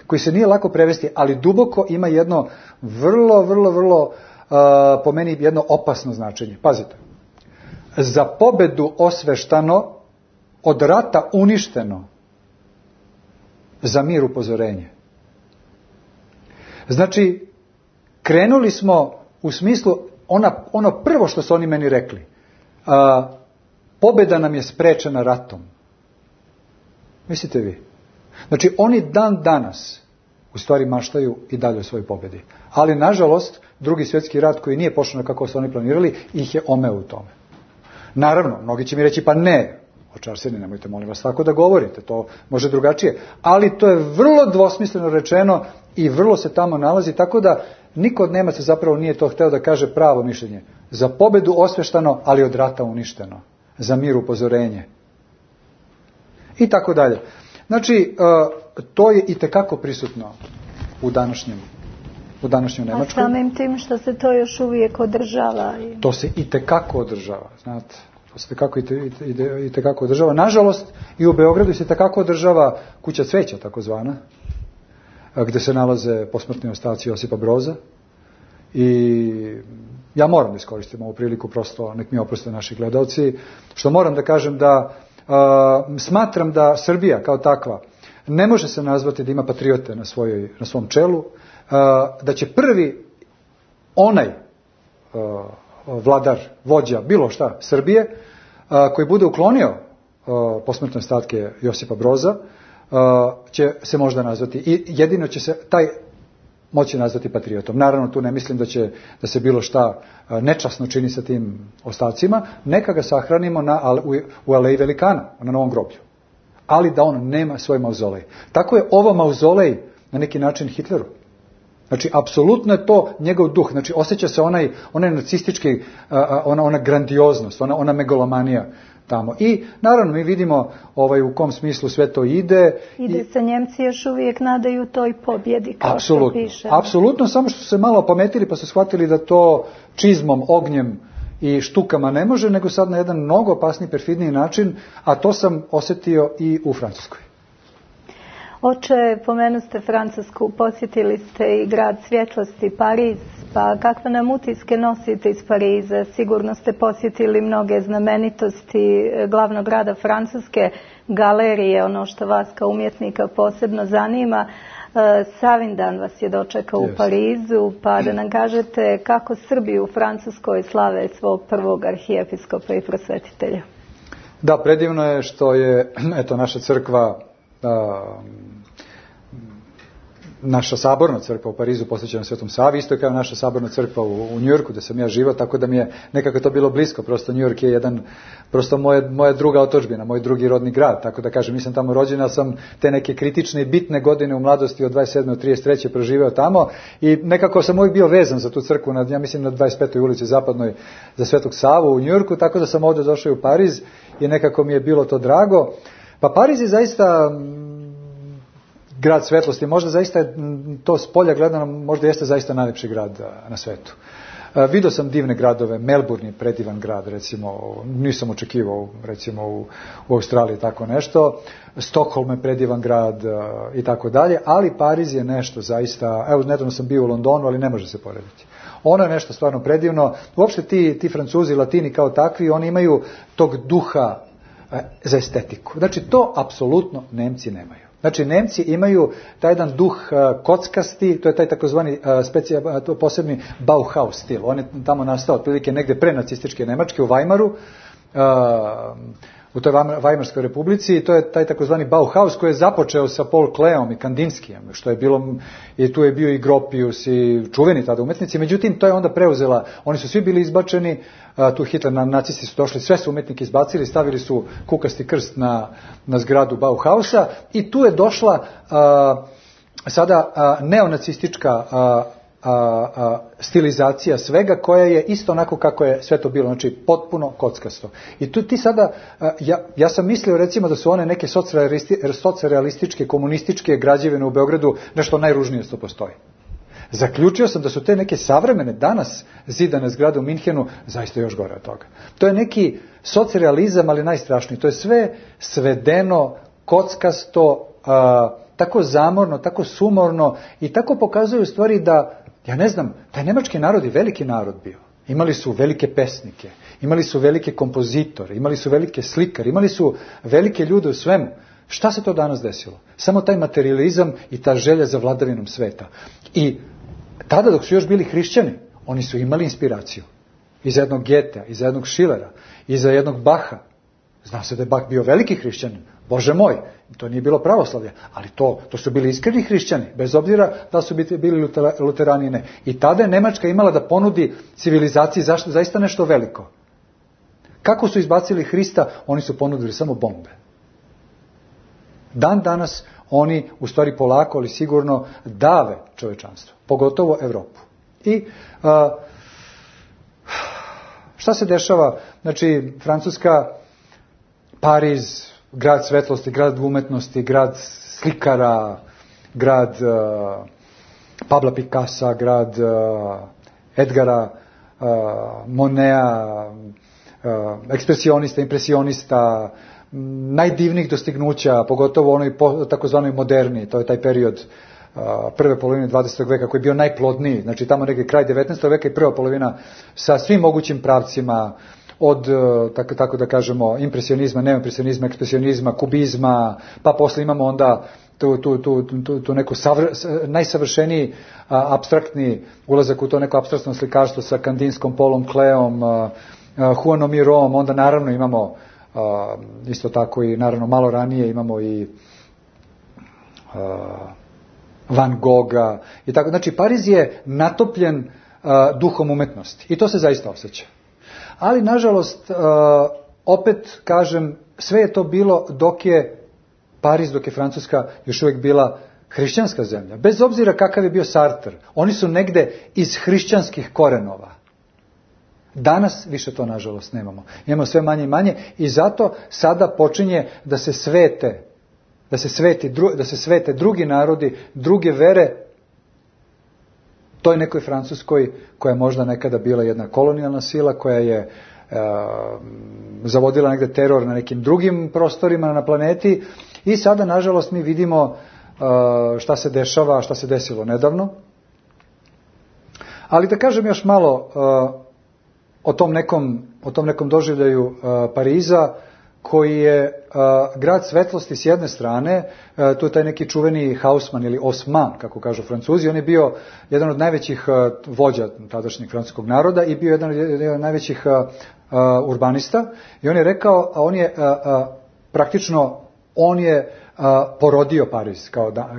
S3: koji se nije lako prevesti, ali duboko ima jedno vrlo po meni jedno opasno značenje. Pazite, za pobedu osveštano, od rata uništeno, za mir upozorenje. Znači, krenuli smo u smislu, ono prvo što su oni meni rekli, pobjeda nam je sprečena ratom. Mislite vi? Znači, oni dan danas u stvari maštaju i dalje o svojoj pobjedi. Ali, nažalost, Drugi svjetski rat koji nije pošao kako su oni planirali, ih je omeo u tome. Naravno, mnogi će mi reći, pa ne, očarstveni, nemojte molim vas tako da govorite, to može drugačije. Ali to je vrlo dvosmisleno rečeno i vrlo se tamo nalazi, tako da niko od Nemaca zapravo nije to hteo da kaže pravo mišljenje. Za pobjedu osveštano, ali od rata uništeno. Za mir upozorenje. I tako dalje. Znači, to je itekako prisutno u današnjoj Nemačkoj.
S2: A samim tim što se to još uvijek održava.
S3: To se itekako održava, znate. To se itekako održava. Nažalost, i u Beogradu se itekako održava kuća cveća, takozvana, gdje se nalaze posmrtni ostaci Josipa Broza. I ja moram da iskoristim ovu priliku, prosto nek mi oproste naši gledalci, što moram da kažem da smatram da Srbija kao takva ne može se nazvati da ima patriote na svom čelu, da će prvi onaj vladar, vođa, bilo šta, Srbije, koji bude uklonio posmrtne ostatke Josipa Broza, će se možda nazvati, i jedino će se taj moći nazvati patriotom. Naravno, tu ne mislim da se bilo šta nečasno čini sa tim ostacima, neka ga sahranimo u Aleji Velikana, na Novom groblju. Ali da on nema svoj mauzolej. Tako je ovo mauzolej na neki način Hitleru. Znači, apsolutno je to njegov duh. Znači, osjeća se onaj nacistički, ona grandioznost, ona megalomanija tamo. I, naravno, mi vidimo u kom smislu sve to ide.
S2: I da se Njemci još uvijek nadaju toj pobjedi, kao što piše.
S3: Apsolutno, samo što su se malo opametili pa su shvatili da to čizmom, ognjem i štukama ne može, nego sad na jedan mnogo opasniji, perfidniji način, a to sam osjetio i u Francuskoj.
S2: Oče, pomenuste Francusku, posjetili ste i grad svjetlosti Pariz, pa kakve nam utiske nosite iz Pariza? Sigurno ste posjetili mnoge znamenitosti glavnog grada Francuske, galerije, ono što vas kao umjetnika posebno zanima. Savindan vas je dočekao u Parizu, pa da nam kažete kako Srbi u Francuskoj slave svog prvog arhijepiskopa i prosvetitelja.
S3: Da, predivno je što je naša crkva, naša saborna crkva u Parizu posvećena Svetom Savi, isto kao naša saborna crkva u Njujorku, da sam ja živao, tako da mi je nekako to bilo blisko. Prosto Njujork je prosto moja druga otadžbina, moj drugi rodni grad, tako da kažem, nisam tamo rođen, ali sam te neke kritične i bitne godine u mladosti od 27. do 33. proživeo tamo i nekako sam uvijek bio vezan za tu crkvu, ja mislim na 25. ulici Zapadnoj za Svetog Savu u Njujorku, tako da sam ovdje došao u Pariz i nekako mi je bilo to drago. Pa Pariz je zaista grad svetlosti, možda zaista to s polja gledano, možda jeste zaista najljepši grad na svetu. Vidio sam divne gradove, Melbourne je predivan grad, recimo, nisam očekivao, recimo, u Australiji tako nešto, Stockholm je predivan grad i tako dalje, ali Pariz je nešto zaista, evo, nedavno sam bio u Londonu, ali ne može se porediti. Ono je nešto stvarno predivno, uopšte ti Francuzi, Latini kao takvi, oni imaju tog duha za estetiku. Znači, to apsolutno Nemci nemaju. Znači, Nemci imaju taj jedan duh kockasti, to je taj takozvani posebni Bauhaus stil. On je tamo nastao otprilike negde pre nacističke Nemačke u Weimaru, u toj Weimarskoj republici, i to je taj takozvani Bauhaus koji je započeo sa Paul Kleom i Kandinskijem, što je bilo, i tu je bio i Gropius i čuveni tada umetnici, međutim to je onda preuzela, oni su svi bili izbačeni, tu Hitler, nacisti su došli, sve su umetnike izbacili, stavili su kukasti krst na zgradu Bauhausa i tu je došla sada neonacistička stilizacija svega, koja je isto onako kako je sve to bilo, znači potpuno kockasto. I tu ti sada, ja sam mislio recimo da su one neke socrealističke, komunističke građevine u Beogradu nešto najružnije što postoji. Zaključio sam da su te neke savremene, danas zidane zgrade u Minhenu zaista još gore od toga. To je neki socrealizam, ali najstrašniji. To je sve svedeno, kockasto, tako zamorno, tako sumorno i tako pokazuje u stvari da, ja ne znam, taj nemački narod je veliki narod bio. Imali su velike pesnike, imali su velike kompozitore, imali su velike slikare, imali su velike ljude u svemu. Šta se to danas desilo? Samo taj materializam i ta želja za vladavinom sveta. I tada dok su još bili hrišćani, oni su imali inspiraciju. Iza jednog Goethea, iza jednog Schillera, iza jednog Bacha. Zna se da je Bach bio veliki hrišćanin. Bože moj, to nije bilo pravoslavlje, ali to su bili iskreni hrišćani, bez obzira da su bili luterani, ne. I tada je Nemačka imala da ponudi civilizaciji zaista nešto veliko. Kako su izbacili Hrista? Oni su ponudili samo bombe. Dan danas oni u stvari polako, ali sigurno dave čovečanstvo, pogotovo Evropu. I šta se dešava? Znači, Francuska, Pariz, grad svetlosti, grad umetnosti, grad slikara, grad Pabla Picassa, grad Edgara Moneta, ekspresionista, impresionista, najdivnijih dostignuća, pogotovo onoj takozvanoj moderni, to je taj period prve polovine 20. veka koji je bio najplodniji, znači tamo negdje kraj 19. veka i prva polovina sa svim mogućim pravcima, od, tako da kažemo, impresionizma, neoimpresionizma, ekspresionizma, kubizma, pa posle imamo onda tu neku najsavršeniji apstraktni ulazak u to neko apstraktno slikarstvo sa Kandinskom, Paulom Kleom, Juanom Mirom, onda naravno imamo isto tako i naravno malo ranije imamo i Van Gogha i tako. Znači Pariz je natopljen duhom umetnosti i to se zaista osjeća. Ali nažalost, opet kažem, sve je to bilo dok je Pariz, dok je Francuska još uvijek bila hrišćanska zemlja. Bez obzira kakav je bio Sartre, oni su negde iz hrišćanskih korenova. Danas više to nažalost nemamo. Imamo sve manje i manje i zato sada počinje da se svete drugi narodi, druge vere toj nekoj Francuskoj koja je možda nekada bila jedna kolonijalna sila, koja je zavodila negde teror na nekim drugim prostorima na planeti i sada nažalost mi vidimo šta se dešava, šta se desilo nedavno. Ali da kažem još malo o tom nekom doživljaju Pariza, koji je grad svetlosti s jedne strane, tu je taj neki čuveni Haussmann ili Haussmann, kako kažu Francuzi, on je bio jedan od najvećih vođa tadašnjeg francuskog naroda i bio jedan od najvećih urbanista, i on je rekao, on je porodio Pariz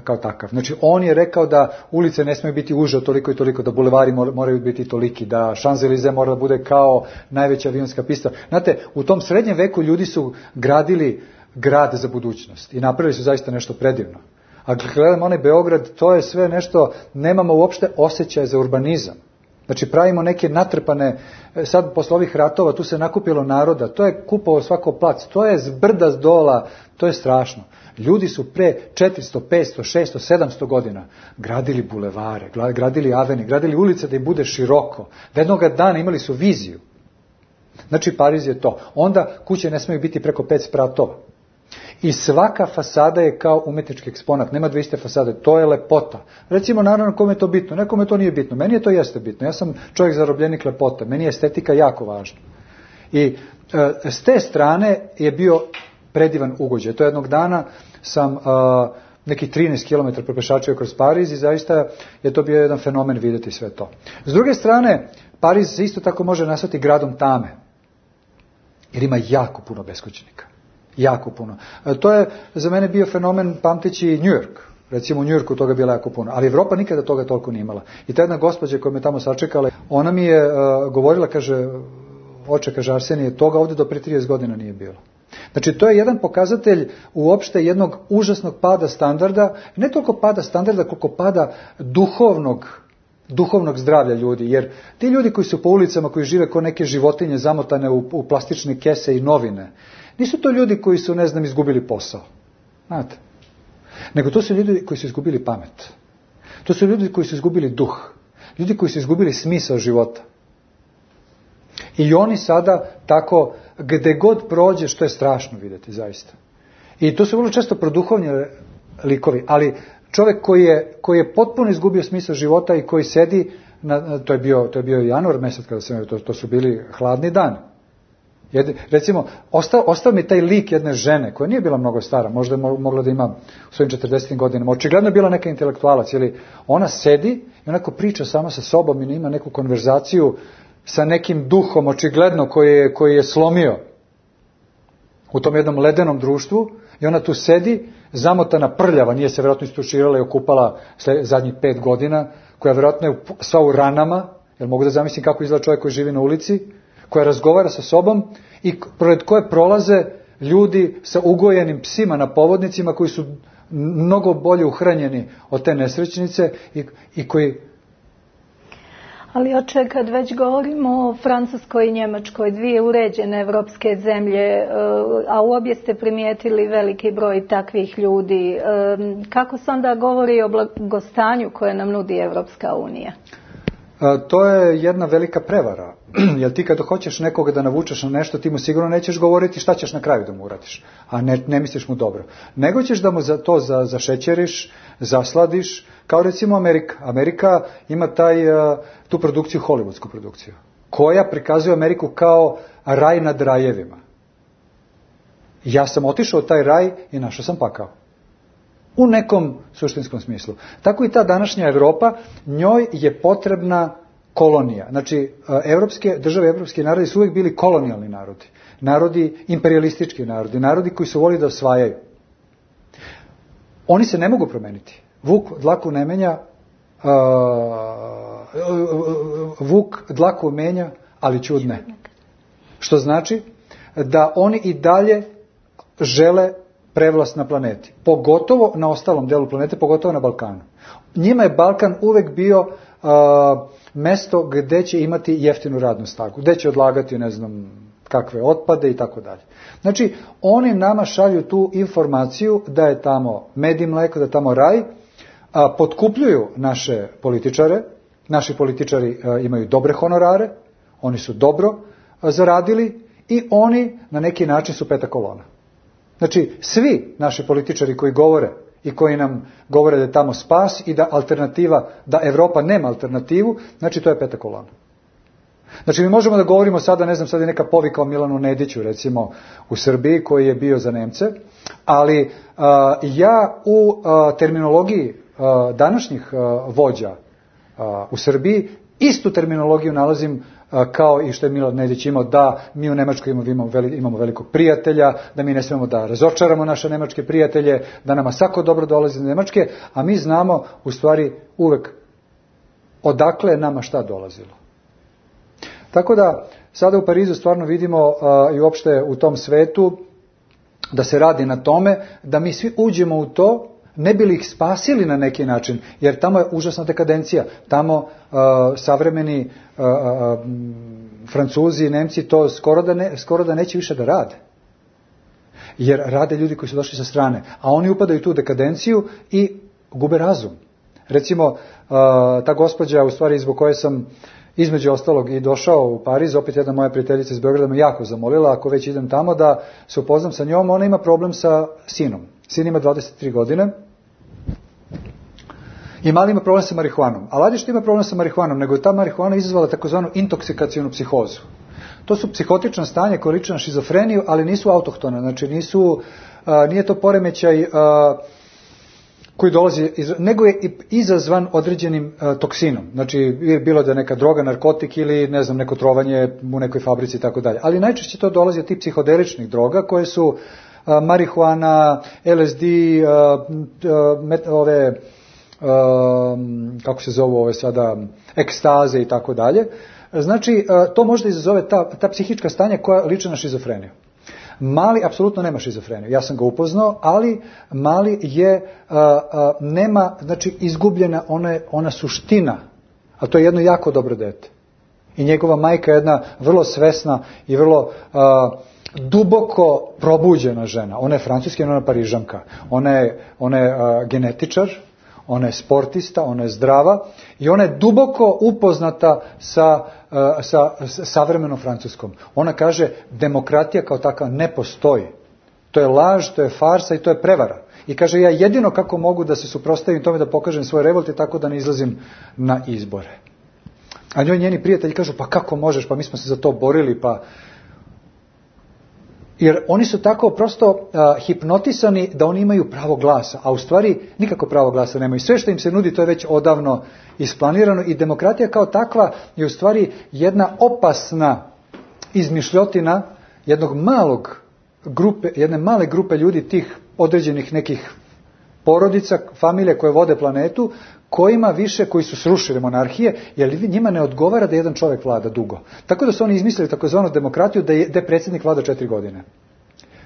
S3: kao takav. Znači, on je rekao da ulice ne smiju biti uže toliko i toliko, da bulevari moraju biti toliki, da Champs-Élysées mora da bude kao najveća avionska pista. Znate, u tom srednjem veku ljudi su gradili grad za budućnost i napravili su zaista nešto predivno. A gledamo onaj Beograd, to je sve nešto, nemamo uopšte osjećaja za urbanizam. Znači, pravimo neke natrpane, sad posle ovih ratova, tu se nakupilo naroda, to je kupovao svako plac, to je s brda s dola, to je strašno. Ljudi su pre 400, 500, 600, 700 godina gradili bulevare, gradili aveni, gradili ulice da im bude široko, da jednoga dana imali su viziju. Znači, Pariz je to. Onda kuće ne smiju biti preko 5 spratova. I svaka fasada je kao umetnički eksponat, nema dve iste fasade, to je lepota. Recimo, naravno, kome je to bitno, nekome to nije bitno, meni je to jeste bitno, ja sam čovjek zarobljenik lepote, meni je estetika jako važna. I s te strane je bio predivan ugođaj. To jednog dana sam nekih 13 km propešačio kroz Pariz i zaista je to bio jedan fenomen vidjeti sve to. S druge strane, Pariz se isto tako može nazvati gradom tame, jer ima jako puno beskućnika. Jako puno. To je za mene bio fenomen pamteći New York. Recimo u New Yorku toga bilo jako puno, ali Evropa nikada toga toliko nije imala. I ta jedna gospođa koja me tamo sačekala, ona mi je govorila, kaže, oče, kaže Arsenije, toga ovdje do pre 30 godina nije bilo. Znači, to je jedan pokazatelj uopšte jednog užasnog pada standarda, ne toliko pada standarda, koliko pada duhovnog zdravlja ljudi, jer ti ljudi koji su po ulicama, koji žive kao neke životinje zamotane u plastične kese i novine, nisu to ljudi koji su, ne znam, izgubili posao. Znate? Nego to su ljudi koji su izgubili pamet. To su ljudi koji su izgubili duh. Ljudi koji su izgubili smisao života. I oni sada tako, gde god prođe, što je strašno vidjeti, zaista. I to su vrlo često produhovni likovi, ali čovjek koji je potpuno izgubio smisao života i koji sedi, to je bio januar mjesec kada sam, to su bili hladni dani. Recimo, ostao mi taj lik jedne žene, koja nije bila mnogo stara, možda je mogla da ima u svojim 40. godinama, očigledno je bila neka intelektualac, ili ona sedi i onako priča sama sa sobom i ima neku konverzaciju sa nekim duhom, očigledno koji je slomio u tom jednom ledenom društvu, i ona tu sedi, zamotana, prljava, nije se vjerojatno istuširala i okupala zadnjih 5 godina, koja vjerojatno je sva u ranama, jer mogu da zamislim kako izgleda čovjek koji živi na ulici, koja razgovara sa sobom i pred koje prolaze ljudi sa ugojenim psima na povodnicima koji su mnogo bolje uhranjeni od te nesrećnice i koji...
S2: Ali oče, kad već govorimo o Francuskoj i Njemačkoj, dvije uređene evropske zemlje, a u obje ste primijetili veliki broj takvih ljudi, kako se onda govori o blagostanju koje nam nudi Evropska unija?
S3: To je jedna velika prevara, jer ti kada hoćeš nekoga da navučeš na nešto, ti mu sigurno nećeš govoriti šta ćeš na kraju da mu uradiš, a ne misliš mu dobro. Nego ćeš da mu za to zašećeriš, zasladiš, kao recimo Amerika. Amerika ima tu produkciju, hollywoodsku produkciju, koja prikazuje Ameriku kao raj nad rajevima. Ja sam otišao u taj raj i našao sam pakao. U nekom suštinskom smislu. Tako i ta današnja Evropa, njoj je potrebna kolonija. Znači, države, evropski narodi su uvijek bili kolonijalni narodi. Narodi, imperialistički narodi, narodi koji su volili da osvajaju. Oni se ne mogu promeniti. Vuk dlaku ne menja, vuk dlaku menja, ali čud ne. Što znači da oni i dalje žele prevlast na planeti. Pogotovo na ostalom delu planete, pogotovo na Balkanu. Njima je Balkan uvek bio mesto gde će imati jeftinu radnu snagu, gde će odlagati, ne znam, kakve otpade i tako dalje. Znači, oni nama šalju tu informaciju da je tamo med i mleko, da je tamo raj, potkupljuju naše političare, naši političari imaju dobre honorare, oni su dobro zaradili i oni na neki način su peta kolona. Znači, svi naši političari koji govore i koji nam govore da je tamo spas i da alternativa, da Evropa nema alternativu, znači to je peta kolona. Znači mi možemo da govorimo sada, ne znam, sad je neka povika o Milanu Nediću recimo u Srbiji koji je bio za Nemce, ali ja u terminologiji današnjih vođa u Srbiji istu terminologiju nalazim kao i što je Milan Nedić imao, da mi u Nemačkoj imamo velikog prijatelja, da mi ne smemo da razočaramo naše nemačke prijatelje, da nama svako dobro dolazi iz Nemačke, a mi znamo u stvari uvek odakle je nama šta dolazilo. Tako da sada u Parizu stvarno vidimo i uopšte u tom svetu da se radi na tome da mi svi uđemo u to, ne bi li ih spasili na neki način, jer tamo je užasna dekadencija, tamo savremeni Francuzi i Nemci to skoro da neće više da rade. Jer rade ljudi koji su došli sa strane, a oni upadaju u tu dekadenciju i gube razum. Recimo, ta gospođa, u stvari zbog koje sam između ostalog i došao u Pariz, opet jedna moja prijateljica iz Beograda me jako zamolila, ako već idem tamo da se upoznam sa njom, ona ima problem sa sinom. Sin ima 23 godine i mali ima problem sa marihuanom. Ali radi što ima problem sa marihuanom, nego je ta marihuana izazvala takozvanu intoksikacionu psihozu. To su psihotična stanja koje liče na šizofreniju, ali nisu autohtone, znači nije to poremećaj koji dolazi, nego je izazvan određenim toksinom. Znači, bilo da je neka droga, narkotik ili, ne znam, neko trovanje u nekoj fabrici i tako dalje. Ali najčešće to dolazi od tih psihodeličnih droga koje su marihuana, LSD, kako se zovu ove sada, ekstaze i tako dalje. Znači, to možda izazove ta psihička stanja koja liče na šizofreniju. Mali apsolutno nema šizofreniju, ja sam ga upoznao, ali Mali nema, znači izgubljena ona suština, a to je jedno jako dobro dete. I njegova majka je jedna vrlo svesna i vrlo duboko probuđena žena. Ona je francuska, ona je Parižanka. Ona je genetičar, ona je sportista, ona je zdrava i ona je duboko upoznata sa savremenom Francuskom. Ona kaže, demokratija kao takva ne postoji. To je laž, to je farsa i to je prevara. I kaže, ja jedino kako mogu da se suprotstavim tome da pokažem svoje revolte tako da ne izlazim na izbore. A njeni prijatelji kažu, pa kako možeš, pa mi smo se za to borili, pa... Jer oni su tako prosto hipnotisani da oni imaju pravo glasa, a u stvari nikako pravo glasa nemaju. Sve što im se nudi to je već odavno isplanirano i demokratija kao takva je u stvari jedna opasna izmišljotina jedne male grupe ljudi, tih određenih nekih porodica, familije koje vode planetu, koji su srušili monarhije, jer njima ne odgovara da jedan čovjek vlada dugo. Tako da su oni izmislili takozvanu demokratiju da predsjednik vlada 4 godine.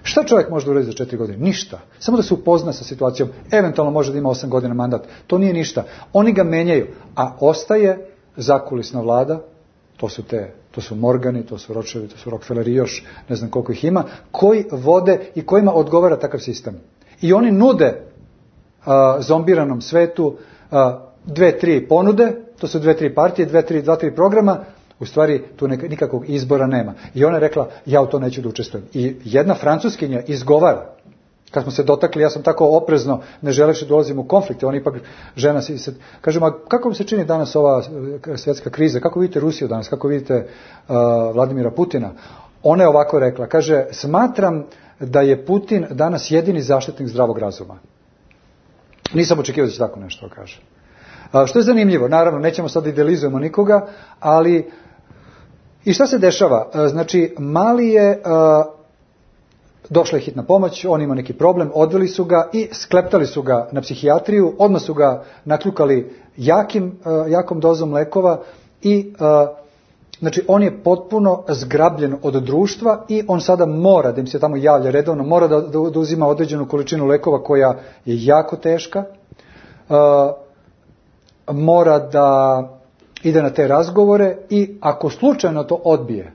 S3: Šta čovjek može da uradi za 4 godine? Ništa. Samo da se upozna sa situacijom. Eventualno može da ima 8 godina mandat. To nije ništa. Oni ga menjaju, a ostaje zakulisna vlada, to su Morgani, to su Rothschildi, to su Rockefelleri, još ne znam koliko ih ima, koji vode i kojima odgovara takav sistem. I oni nude zombiranom svetu 2-3 ponude, to su 2-3 partije, 2-3 programa, u stvari tu nikakvog izbora nema. I ona je rekla, ja u to neću da učestvujem. I jedna Francuskinja izgovara, kad smo se dotakli, ja sam tako oprezno, ne želeći da ulazim u konflikte, on ipak žena se kaže, ma kako vam se čini danas ova svjetska kriza, kako vidite Rusiju danas, kako vidite Vladimira Putina? Ona je ovako rekla, kaže, smatram da je Putin danas jedini zaštitnik zdravog razuma. Nisam očekivao da će tako nešto kaže. Što je zanimljivo, naravno, nećemo sad idealizujemo nikoga, ali i šta se dešava? Znači, Mali je, došla je hitna pomoć, on ima neki problem, odveli su ga i skleptali su ga na psihijatriju, odmah su ga nakljukali jakom dozom lekova i znači on je potpuno zgrabljen od društva i on sada mora, da im se tamo javlja redovno, mora da uzima određenu količinu lekova koja je jako teška, mora da ide na te razgovore i ako slučajno to odbije,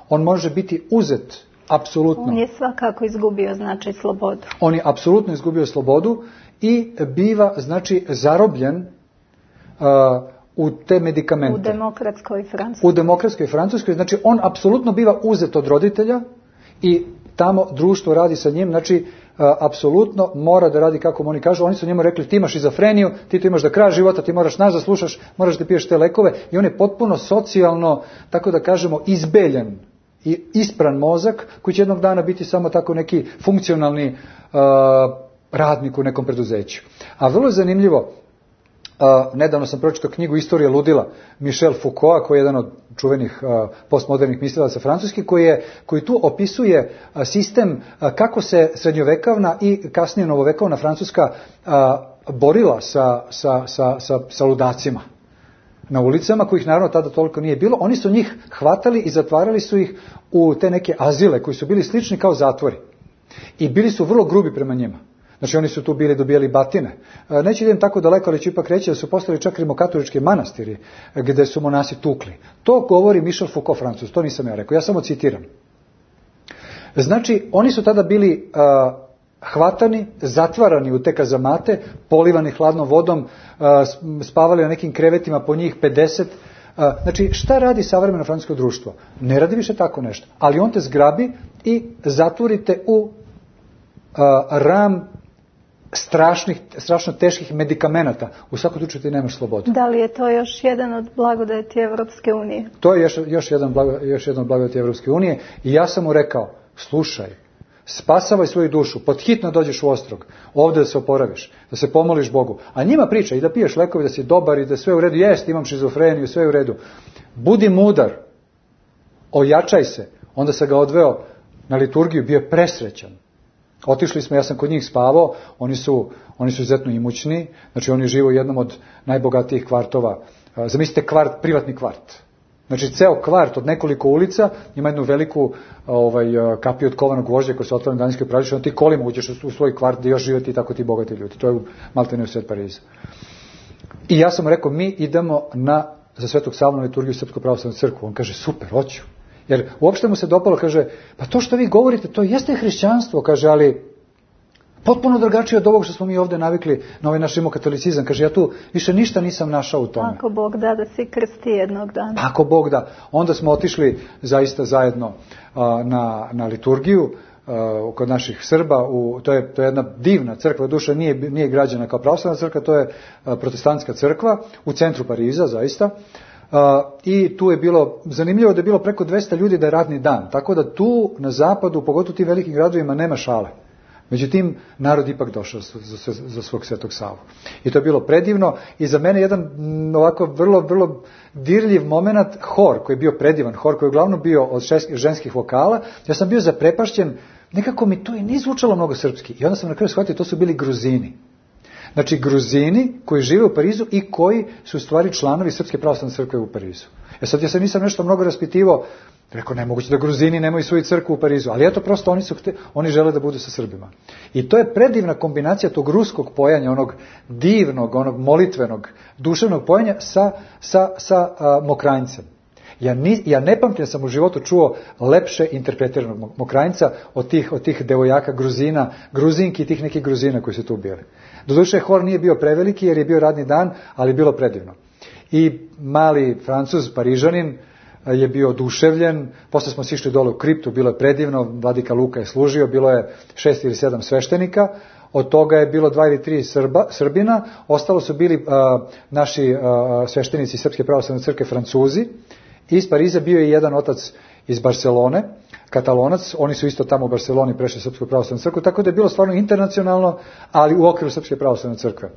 S3: on može biti uzet apsolutno.
S2: On je svakako izgubio, znači, slobodu.
S3: On je apsolutno izgubio slobodu i biva, znači, zarobljen u te medikamente.
S2: U demokratskoj Francuskoj.
S3: Znači, on apsolutno biva uzet od roditelja i tamo društvo radi sa njim, znači apsolutno mora da radi kako oni kažu. Oni su njemu rekli ti imaš šizofreniju, ti to imaš do kraja života, ti moraš nas da slušaš, moraš da piješ te lekove i on je potpuno socijalno, tako da kažemo, izbeljen i ispran mozak koji će jednog dana biti samo tako neki funkcionalni radnik u nekom preduzeću. A vrlo je zanimljivo, nedavno sam pročitao knjigu Istorija ludila Michel Foucaulta, koji je jedan od čuvenih postmodernih mislilaca francuskih, koji tu opisuje sistem kako se srednjovekovna i kasnije novovekovna Francuska borila sa ludacima na ulicama, kojih naravno tada toliko nije bilo. Oni su njih hvatali i zatvarali su ih u te neke azile koji su bili slični kao zatvori. I bili su vrlo grubi prema njima. Znači oni su tu bili dobijali batine. Neću idem tako daleko, ali ću ipak reći da su postali čak rimokatolički manastiri gde su monasi tukli. To govori Michel Foucault, Francuz, to nisam ja rekao, ja samo citiram. Znači oni su tada bili hvatani, zatvarani u te kazamate, polivani hladnom vodom, spavali na nekim krevetima po njih 50. Znači šta radi savremeno francusko društvo? Ne radi više tako nešto, ali on te zgrabi i zatvorite u ram strašno teških medikamenata. U svakom slučaju ti nemaš slobodu.
S2: Da li je to još jedan od blagodeti Evropske unije?
S3: To je još jedan od blagodeti Evropske unije i ja sam mu rekao, slušaj, spasavaj svoju dušu, podhitno dođeš u Ostrog, ovdje da se oporaviš, da se pomoliš Bogu, a njima priča i da piješ lekovi, da si dobar i da sve u redu, jest, imam šizofreniju, sve u redu. Budi mudar, ojačaj se. Onda sam ga odveo na liturgiju, bio je presrećan. Otišli smo, ja sam kod njih spavao, oni su izuzetno imućni, znači oni žive u jednom od najbogatijih kvartova. Zamislite privatni kvart. Znači ceo kvart od nekoliko ulica ima jednu veliku kapiju od kovanog gvožđa koja se otvara na Danskoj pravici, onda ti kolima uđeš u svoj kvart gdje još živeti i tako ti bogati ljudi. To je maltene u sred Pariza. I ja sam rekao, mi idemo za Svetog Savu na liturgiju Srpsko pravoslavnu crkvu. On kaže, super, hoću. Jer uopšte mu se dopalo, kaže, pa to što vi govorite, to jeste hrišćanstvo, kaže, ali potpuno drugačije od ovog što smo mi ovdje navikli na ovaj naš rimokatolicizam. Kaže, ja tu više ništa nisam našao u tome.
S2: Ako Bog da se krsti jednog dana.
S3: Ako Bog da. Onda smo otišli zaista zajedno na liturgiju kod naših Srba. To je jedna divna crkva, duša nije građena kao pravoslavna crkva, to je protestantska crkva u centru Pariza, zaista. I tu je bilo zanimljivo da je bilo preko 200 ljudi da je radni dan. Tako da tu na zapadu, pogotovo u tim velikim gradovima, nema šale. Međutim, narod ipak došao za svog Svetog Savu. I to je bilo predivno i za mene jedan ovako vrlo, vrlo dirljiv moment, hor koji je bio predivan, hor koji je uglavnom bio od ženskih vokala. Ja sam bio zaprepašćen, nekako mi to i nije zvučalo mnogo srpski. I onda sam na kraju shvatio, to su bili Gruzini. Znači Gruzini koji žive u Parizu i koji su u stvari članovi Srpske pravoslavne crkve u Parizu. Sad ja se nisam nešto mnogo raspitivao, rekao nemoguće da Gruzini nemaju svoju crkvu u Parizu, ali eto prosto oni žele da budu sa Srbima. I to je predivna kombinacija tog ruskog pojanja, onog divnog, onog molitvenog, duševnog pojanja sa Mokranjcem. Ja ne pamtim da sam u životu čuo lepše interpretiranog Mokranjca od tih devojaka Gruzina, Gruzinki i tih nekih Gruzina koji su tu bili. Doduše, hor nije bio preveliki jer je bio radni dan, ali je bilo predivno. I mali Francuz, Parižanin, je bio oduševljen, posle smo sišli dole u kriptu, bilo je predivno, vladika Luka je služio, bilo je 6 ili 7 sveštenika, od toga je bilo 2 ili 3 Srbina, ostalo su bili naši sveštenici Srpske pravoslavne crkve Francuzi, iz Pariza bio je jedan otac iz Barcelone, Katalonac, oni su isto tamo u Barceloni prešli Srpsku pravoslavnu crkvu, tako da je bilo stvarno internacionalno, ali u okviru Srpske pravoslavne crkve.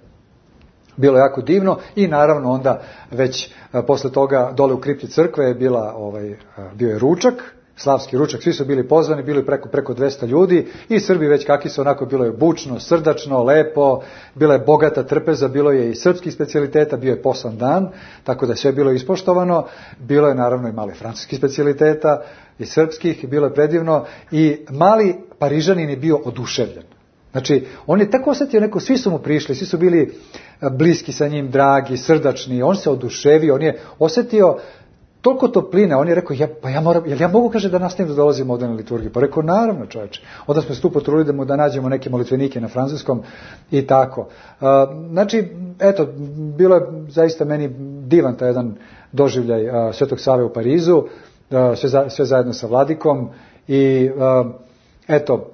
S3: Bilo je jako divno i naravno onda već posle toga dole u kripti crkve je bio je ručak, slavski ručak, svi su bili pozvani, bili preko 200 ljudi i Srbi već kakvi su, onako bilo je bučno, srdačno, lepo, bila je bogata trpeza, bilo je i srpskih specijaliteta, bio je posan dan, tako da je sve bilo ispoštovano, bilo je naravno i mali francuskih specijaliteta i srpskih, bilo je predivno i mali Parižanin je bio oduševljen. Znači, on je tako osjetio svi su mu prišli, svi su bili bliski sa njim, dragi, srdačni, on se oduševio, on je osjetio toliko topline, on je rekao, ja mogu, kaže, da nastavim da dolazim ovdje na liturgiju. Pa rekao, naravno čovječe. Onda smo se tu potrudili da nađemo neke molitvenike na francuskom i tako. Znači, eto, bilo je zaista meni divan taj jedan doživljaj Svetog Save u Parizu, sve zajedno sa vladikom i eto,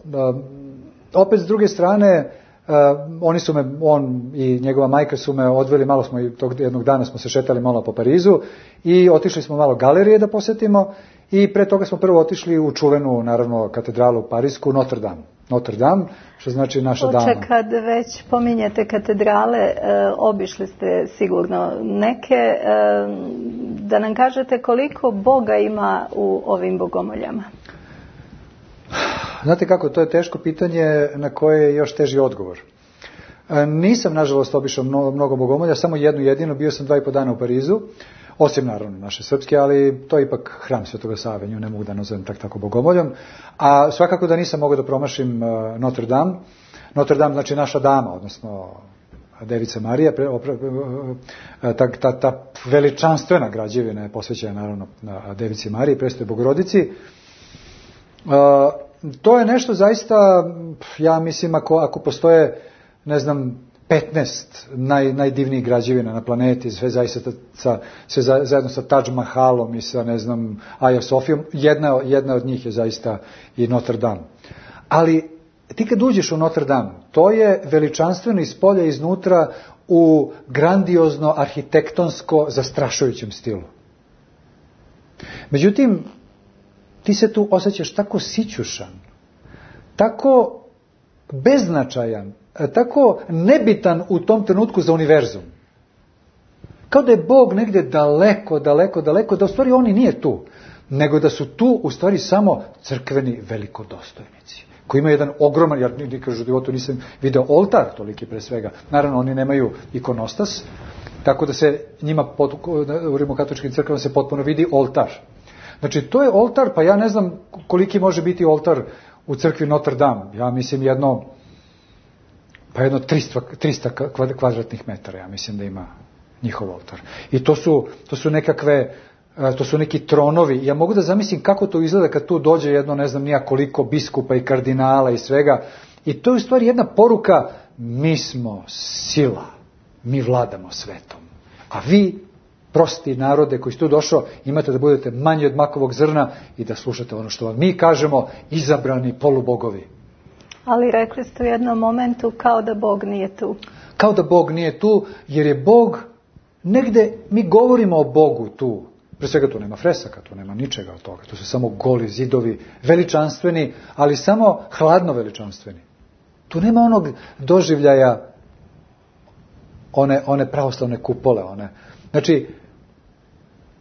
S3: opet s druge strane, on i njegova majka su me odveli, malo smo i tog jednog dana smo se šetali malo po Parizu i otišli smo malo galerije da posetimo i pre toga smo prvo otišli u čuvenu, naravno, katedralu parisku, Notre Dame, što znači naša dama.
S2: Kad već pominjete katedrale, obišli ste sigurno neke, da nam kažete koliko Boga ima u ovim bogomoljama?
S3: Znate kako, to je teško pitanje na koje je još teži odgovor. Nisam, nažalost, obišao mnogo bogomolja, samo jednu jedinu, bio sam 2,5 dana u Parizu, osim naravno naše srpske, ali to je ipak hram Svetoga Save, nju ne mogu da nazovem tako bogomoljom, a svakako da nisam mogao da promašim Notre Dame. Notre Dame znači naša dama, odnosno Devica Marija, ta veličanstvena građevina je posvećena naravno na Devici Mariji, Presvetoj Bogorodici. To je nešto zaista, ja mislim, ako postoje, ne znam, 15 najdivnijih građevina na planeti, sve zajedno sa Taj Mahalom i sa, ne znam, Aja Sofijom, jedna od njih je zaista i Notre Dame. Ali ti kad uđeš u Notre Dame, to je veličanstveno iz polja i iznutra u grandiozno, arhitektonsko, zastrašujućem stilu. Međutim, ti se tu osjećaš tako sićušan, tako beznačajan, tako nebitan u tom trenutku za univerzum. Kao da je Bog negdje daleko, da u stvari on i nije tu, nego da su tu u stvari samo crkveni velikodostojnici, koji imaju jedan ogroman, ja nikad u životu nisam video oltar toliki pre svega. Naravno, oni nemaju ikonostas, tako da se njima u rimokatoličkim crkvama se potpuno vidi oltar. Znači, to je oltar, pa ja ne znam koliki može biti oltar u crkvi Notre Dame. Ja mislim jedno 300 kvadratnih metara, ja mislim da ima njihov oltar. I to su neki tronovi. Ja mogu da zamislim kako to izgleda kad tu dođe jedno, ne znam nija koliko biskupa i kardinala i svega. I to je u stvari jedna poruka, mi smo sila, mi vladamo svetom. A vi, prosti narode koji ste tu došao, imate da budete manji od makovog zrna i da slušate ono što vam mi kažemo, izabrani polubogovi.
S2: Ali rekli ste u jednom momentu kao da Bog nije tu.
S3: Kao da Bog nije tu, jer je Bog negde, mi govorimo o Bogu tu. Pre svega tu nema fresaka, tu nema ničega od toga. Tu su samo goli zidovi, veličanstveni, ali samo hladno veličanstveni. Tu nema onog doživljaja one pravoslavne kupole, Znači,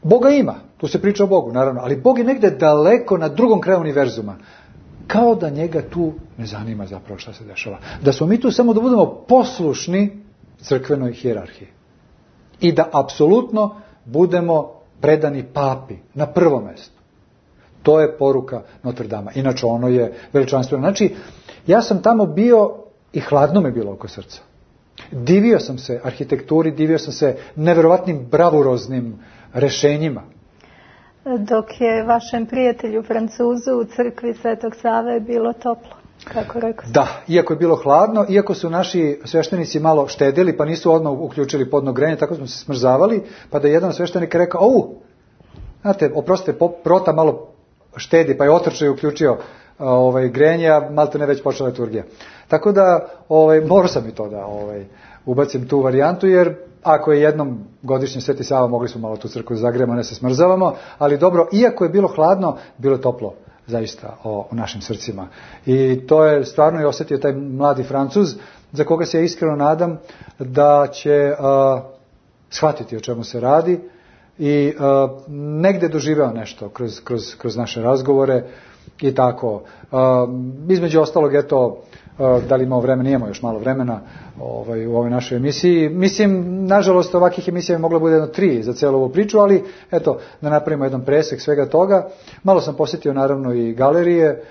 S3: Boga ima, tu se priča o Bogu, naravno, ali Bog je negde daleko na drugom kraju univerzuma. Kao da njega tu ne zanima zapravo šta se dešava. Da smo mi tu samo da budemo poslušni crkvenoj hijerarhiji. I da apsolutno budemo predani papi na prvom mjestu. To je poruka Notre Dama. Inače, ono je veličanstveno. Znači, ja sam tamo bio i hladno me bilo oko srca. Divio sam se arhitekturi, divio sam se neverovatnim bravuroznim rešenjima.
S2: Dok je vašem prijatelju Francuzu u crkvi Svetog Save bilo toplo, kako rekao sam.
S3: Da, iako je bilo hladno, iako su naši sveštenici malo štedili, pa nisu odmah uključili podno grejanje, tako smo se smrzavali, pa da je jedan sveštenik rekao, znate, oprostite, prota malo štedi, pa je otrčao i uključio grejanje, a malte ne već počela liturgija. Tako da morao sam i to da ubacim tu varijantu, jer ako je jednom godišnje Sveti Sava, mogli smo malo tu crkvu zagrejemo, ne se smrzavamo, ali dobro, iako je bilo hladno, bilo je toplo zaista u našim srcima. I to je stvarno i osjetio taj mladi Francuz, za koga se ja iskreno nadam da će shvatiti o čemu se radi i negde doživeo nešto kroz naše razgovore i tako. Između ostalog, eto, da li imamo vremena, imamo još malo vremena u ovoj našoj emisiji. Mislim, nažalost, ovakvih emisija je moglo bude 3 za cijelu ovu priču, ali eto, da napravimo jedan presek svega toga. Malo sam posjetio naravno i galerije,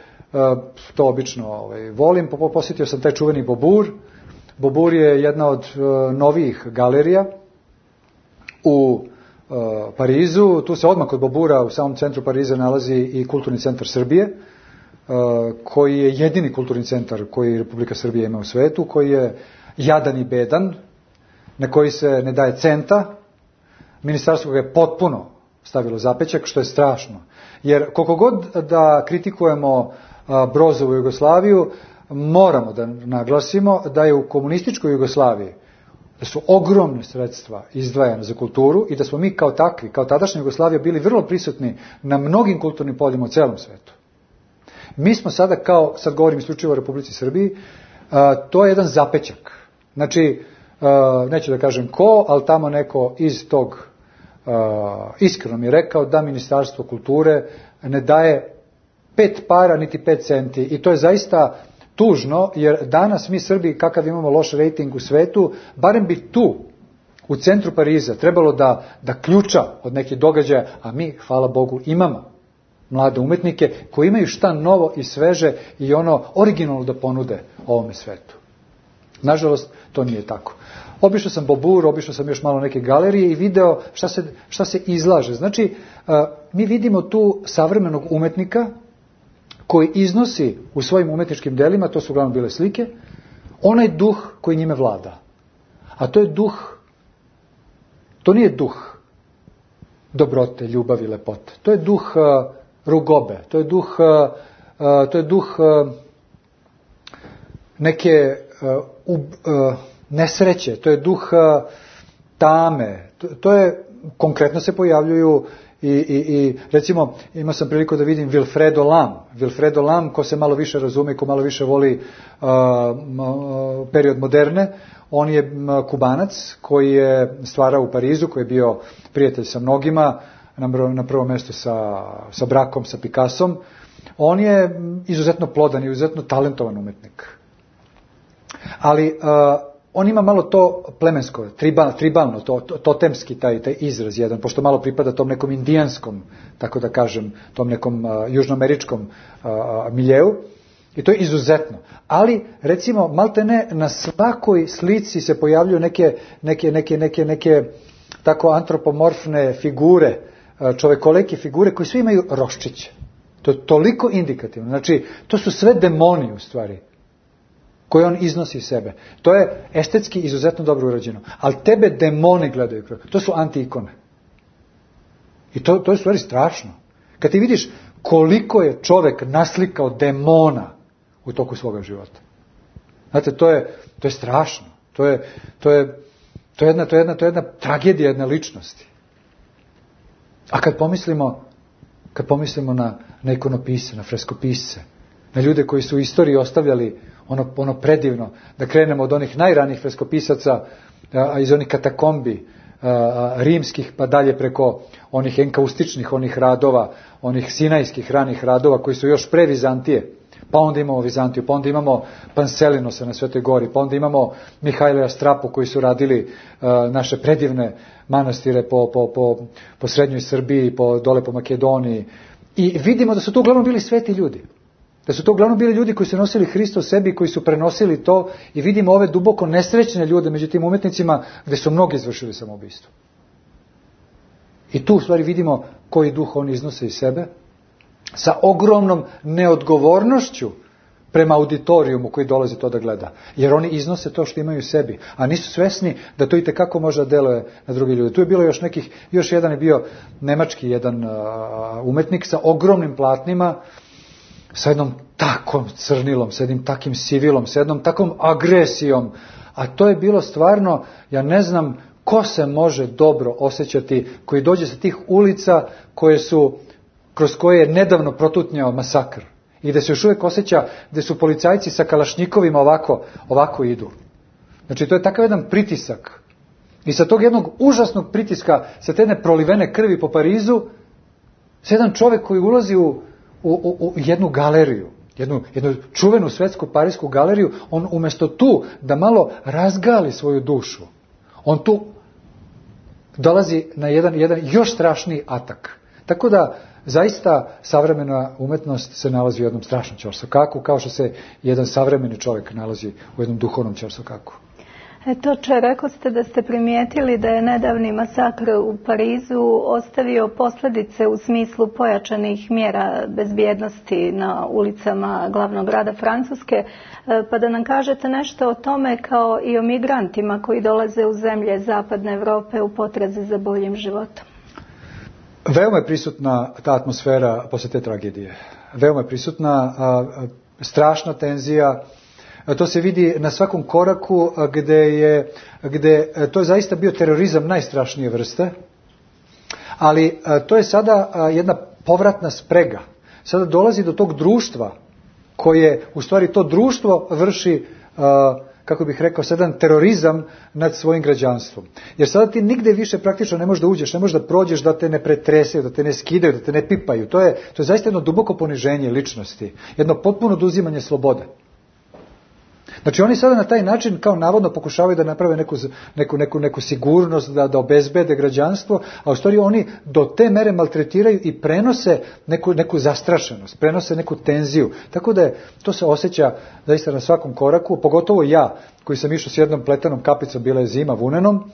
S3: to obično volim. Posjetio sam taj čuveni Beaubourg. Beaubourg je jedna od novijih galerija u Parizu. Tu se odmah kod Beaubourga u samom centru Pariza nalazi i Kulturni centar Srbije, koji je jedini kulturni centar koji Republika Srbija ima u svetu, koji je jadan i bedan, na koji se ne daje centa. Ministarstvo ga je potpuno stavilo zapećak, što je strašno. Jer koliko god da kritikujemo Brozovu Jugoslaviju, moramo da naglasimo da je u komunističkoj Jugoslaviji da su ogromne sredstva izdvajane za kulturu i da smo mi kao takvi, kao tadašnja Jugoslavija, bili vrlo prisutni na mnogim kulturnim poljima u celom svetu. Mi smo sada sad govorim isključivo o Republici Srbiji, to je jedan zapećak. Znači, neću da kažem ko, ali tamo neko iz tog iskreno mi je rekao da Ministarstvo kulture ne daje 5 para niti 5 centi i to je zaista tužno, jer danas mi Srbi, kakav imamo loš rejting u svetu, barem bi tu u centru Pariza trebalo da ključa od nekih događaja, a mi, hvala Bogu, imamo mlade umetnike koji imaju šta novo i sveže i ono originalno da ponude ovome svetu. Nažalost, to nije tako. Obišao sam Bobur, obišao sam još malo neke galerije i video šta se izlaže. Znači, mi vidimo tu savremenog umetnika koji iznosi u svojim umetničkim delima, to su uglavnom bile slike, onaj duh koji njime vlada. A to je duh, to nije duh dobrote, ljubavi, lepote. To je duh rugobe, to je duh neke nesreće, to je duh tame, to je, konkretno se pojavljuju i recimo imao sam priliku da vidim Wilfredo Lam, ko se malo više razume, ko malo više voli period moderne, on je Kubanac koji je stvarao u Parizu, koji je bio prijatelj sa mnogima, na prvom mjestu sa brakom, sa Picassom. On je izuzetno plodan i izuzetno talentovan umetnik. Ali on ima malo to plemensko, tribalno, totemski taj izraz jedan, pošto malo pripada tom nekom indijanskom, tako da kažem, tom nekom južnoameričkom miljeu. I to je izuzetno. Ali, recimo, maltene na svakoj slici se pojavljuju neke tako antropomorfne figure, čovekolike figure koji svi imaju roščiće. To je toliko indikativno. Znači, to su sve demoni u stvari koje on iznosi iz sebe. To je estetski izuzetno dobro urađeno. Ali tebe demoni gledaju. To su anti-ikone. I to je u stvari strašno. Kad ti vidiš koliko je čovek naslikao demona u toku svoga života. Znate, to je strašno. To je jedna tragedija jedne ličnosti. A kad pomislimo na ikonopise, na freskopisce, na ljude koji su u istoriji ostavljali ono predivno, da krenemo od onih najranijih freskopisaca iz onih katakombi rimskih, pa dalje preko onih enkaustičnih onih radova, onih sinajskih ranih radova koji su još pre Vizantije, pa onda imamo Vizantiju, pa onda imamo Panselinosa na Svetoj gori, pa onda imamo Mihajla Strapu koji su radili naše predivne manastire po srednjoj Srbiji, dole po Makedoniji. I vidimo da su to uglavnom bili sveti ljudi. Da su to uglavnom bili ljudi koji su nosili Hrista u sebi, koji su prenosili to, i vidimo ove duboko nesrećne ljude među tim umetnicima gdje su mnogi izvršili samoubistvo. I tu u stvari vidimo koji duh oni iznose iz sebe, sa ogromnom neodgovornošću prema auditorijumu koji dolazi to da gleda. Jer oni iznose to što imaju u sebi, a nisu svesni da to itekako može da deluje na drugi ljude. Tu je bilo još jedan je bio nemački jedan umetnik sa ogromnim platnima, sa jednom takom crnilom, sa jednim takim sivilom, sa jednom takom agresijom. A to je bilo stvarno, ja ne znam ko se može dobro osjećati, koji dođe sa tih ulica kroz koje je nedavno protutnjao masakr. I da se još uvijek osjeća gdje su policajci sa kalašnjikovima ovako idu. Znači to je takav jedan pritisak. I sa tog jednog užasnog pritiska, sa te jedne prolivene krvi po Parizu, sa jedan čovjek koji ulazi u jednu galeriju, jednu čuvenu svetsku parijsku galeriju, on umjesto tu da malo razgali svoju dušu, on tu dolazi na jedan još strašniji atak. Tako da zaista savremena umetnost se nalazi u jednom strašnom ćorsokaku, kao što se jedan savremeni čovjek nalazi u jednom duhovnom ćorsokaku.
S2: Rekao ste da ste primijetili da je nedavni masakr u Parizu ostavio posljedice u smislu pojačanih mjera bezbjednosti na ulicama glavnog grada Francuske, pa da nam kažete nešto o tome kao i o migrantima koji dolaze u zemlje zapadne Europe u potrazi za boljim životom.
S3: Veoma je prisutna ta atmosfera posle te tragedije. Veoma je prisutna, strašna tenzija. To se vidi na svakom koraku gde to je zaista bio terorizam najstrašnije vrste, ali to je sada jedna povratna sprega. Sada dolazi do tog društva koje, u stvari to društvo vrši, kako bih rekao, jedan terorizam nad svojim građanstvom. Jer sada ti nigde više praktično ne možeš da uđeš, ne možeš da prođeš da te ne pretresaju, da te ne skidaju, da te ne pipaju. To je zaista jedno duboko poniženje ličnosti, jedno potpuno oduzimanje slobode. Znači oni sada na taj način kao navodno pokušavaju da naprave neku sigurnost, da obezbede građanstvo, a u stvari oni do te mere maltretiraju i prenose neku zastrašenost, prenose neku tenziju. Tako da to se osjeća zaista na svakom koraku, pogotovo ja koji sam išao s jednom pletenom kapicom, bila je zima, vunenom,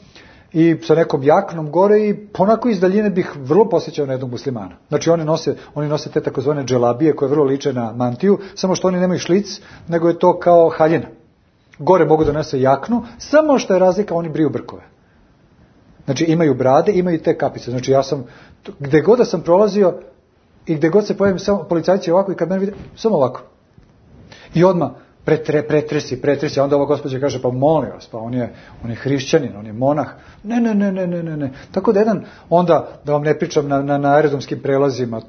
S3: i sa nekom jaknom gore i ponako iz daljine bih vrlo posjećao na jednog muslimana. Znači oni nose te takozvane dželabije koje vrlo liče na mantiju, samo što oni nemaju šlic, nego je to kao haljina. Gore mogu da nose jaknu, samo što je razlika, oni briju brkove. Znači imaju brade, imaju te kapice. Znači ja sam, gde god da sam prolazio i gde god se pojavim, samo policajci ovako i kad mene vide, samo ovako. I odmah pretresi, a onda ova gospođa kaže, pa molim vas, pa on je hrišćanin, on je monah. Ne. Tako da onda da vam ne pričam na aerodromskim prelazima,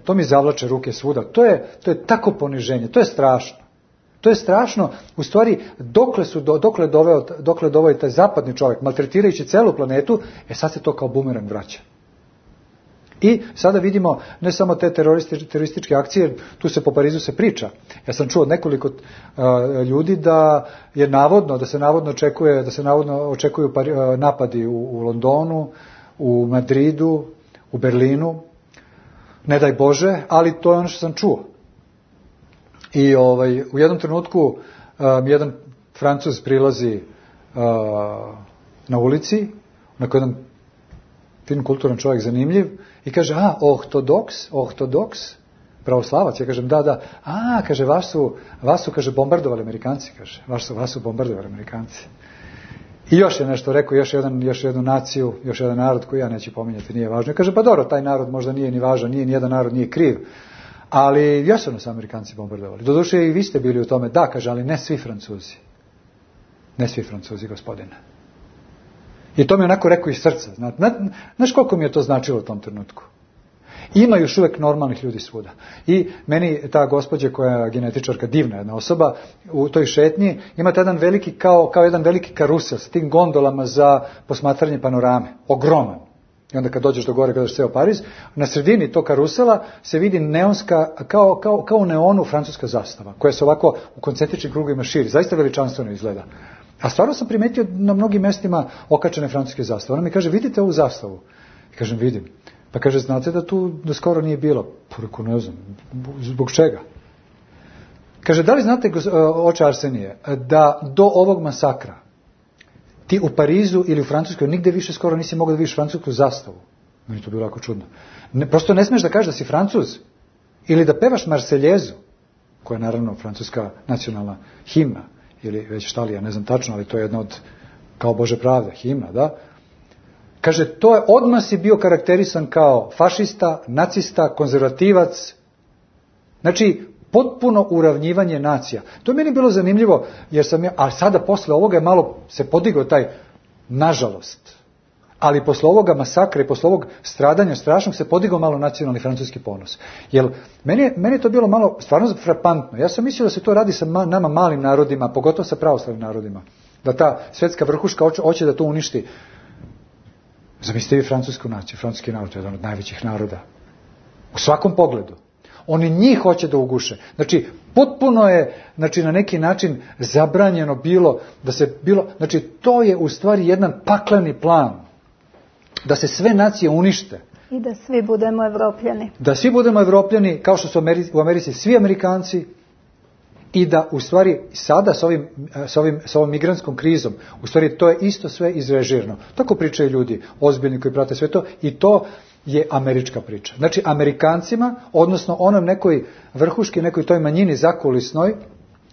S3: to mi zavlače ruke svuda. To je tako poniženje, to je strašno. To je strašno, u stvari, dokle doveo taj zapadni čovjek, maltretirajući celu planetu, sad se to kao bumerang vraća. I sada vidimo ne samo te terorističke akcije, tu se po Parizu se priča. Ja sam čuo od nekoliko ljudi da se navodno očekuju napadi u Londonu, u Madridu, u Berlinu. Ne daj Bože, ali to je ono što sam čuo. I u jednom trenutku jedan Francuz prilazi na ulici, onako jedan fin kulturan čovjek, zanimljiv, i kaže, ortodoks, pravoslavac. Ja kažem, da. Kaže, vas su, kaže, bombardovali Amerikanci, kaže, vas su bombardovali Amerikanci. I još je nešto rekao, još jednu naciju, još jedan narod koji ja neću pominjati, nije važno. Ja kažem, pa dobro, taj narod možda nije ni važan, ni jedan narod nije kriv. Ali jesu nas Amerikanci bombardovali. Doduše i vi ste bili u tome. Da, kaže, ali ne svi Francuzi. Ne svi Francuzi, gospodine. I to mi je onako rekao iz srca. Znaš koliko mi je to značilo u tom trenutku? Ima još uvijek normalnih ljudi svuda. I meni ta gospođa koja je genetičarka, divna jedna osoba, u toj šetnji imate jedan veliki, kao jedan veliki karusel s tim gondolama za posmatranje panorame. Ogroman. I onda kad dođeš do gore, gledaš ceo Pariz, na sredini tog karusela se vidi neonska, kao u neonu francuska zastava, koja se ovako u koncentričnim krugovima širi. Zaista veličanstveno izgleda. A stvarno sam primetio na mnogim mestima okačene francuske zastave. Ona mi kaže, vidite ovu zastavu? I kažem, vidim. Pa kaže, znate da tu do skoro nije bilo? Poreko, ne znam. Zbog čega? Kaže, da li znate, oče Arsenije, da do ovog masakra ti u Parizu ili u Francuskoj nigde više skoro nisi mogao da vidiš francusku zastavu? Meni je to bilo jako čudno. Prosto ne smiješ da kažeš da si Francuz ili da pevaš Marseljezu, koja je naravno francuska nacionalna himna, ili već šta li, ja ne znam tačno, ali to je jedna od, kao Bože pravde, himna, da? Kaže, to je, odmah si bio karakterisan kao fašista, nacista, konzervativac. Znači, potpuno uravnjivanje nacija. To je meni bilo zanimljivo, jer sam ja, a sada posle ovoga je malo se podigao taj, nažalost, ali posle ovoga masakra i posle ovog stradanja strašnog se podigao malo nacionalni francuski ponos. Jer meni je to bilo malo stvarno frapantno. Ja sam mislio da se to radi sa nama malim narodima, pogotovo sa pravoslavnim narodima. Da ta svetska vrhuška hoće da to uništi. Zamislite vi francusku naciju, francuski narod je jedan od najvećih naroda. U svakom pogledu. Oni njih hoće da uguše. Znači, potpuno je, znači, na neki način zabranjeno bilo, znači, to je u stvari jedan pakleni plan. Da se sve nacije unište.
S2: I da svi budemo Evropljani.
S3: Da svi budemo Evropljani, kao što su u Americi svi Amerikanci, i da u stvari sada s ovom migrantskom krizom, u stvari to je isto sve izrežirano. Tako pričaju ljudi, ozbiljni koji prate sve to, i to je američka priča. Znači, Amerikancima, odnosno nekoj vrhuški, nekoj toj manjini zakulisnoj,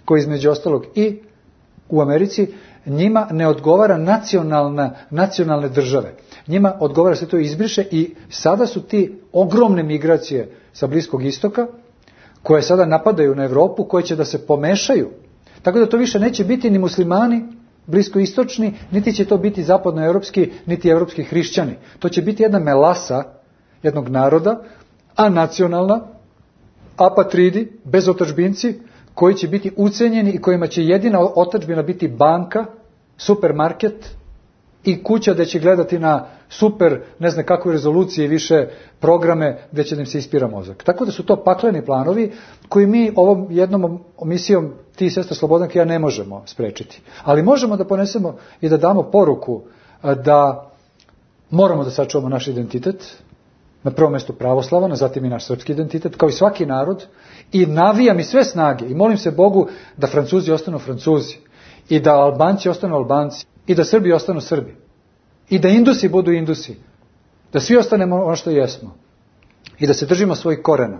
S3: koji između ostalog i u Americi, njima ne odgovara nacionalne države. Njima odgovara se to izbriše i sada su ti ogromne migracije sa Bliskog istoka, koje sada napadaju na Evropu, koje će da se pomešaju. Tako da to više neće biti ni muslimani bliskoistočni, niti će to biti zapadnoevropski, niti evropski hrišćani. To će biti jedna melasa jednog naroda, anacionalna, apatridi, bezotadžbinci, koji će biti ucenjeni i kojima će jedina otadžbina biti banka, supermarket i kuća gde će gledati na super, ne znam kakve rezolucije, više programe gde će da im se ispira mozak. Tako da su to pakleni planovi koji mi ovom jednom misijom ti i sestra Slobodanka ja ne možemo sprečiti. Ali možemo da ponesemo i da damo poruku da moramo da sačuvamo naš identitet, na prvom mjestu pravoslavan, a zatim i naš srpski identitet, kao i svaki narod, i navijam i sve snage i molim se Bogu da Francuzi ostanu Francuzi, i da Albanci ostanu Albanci, i da Srbi ostanu Srbi, i da Indusi budu Indusi, da svi ostanemo ono što jesmo, i da se držimo svojih korena.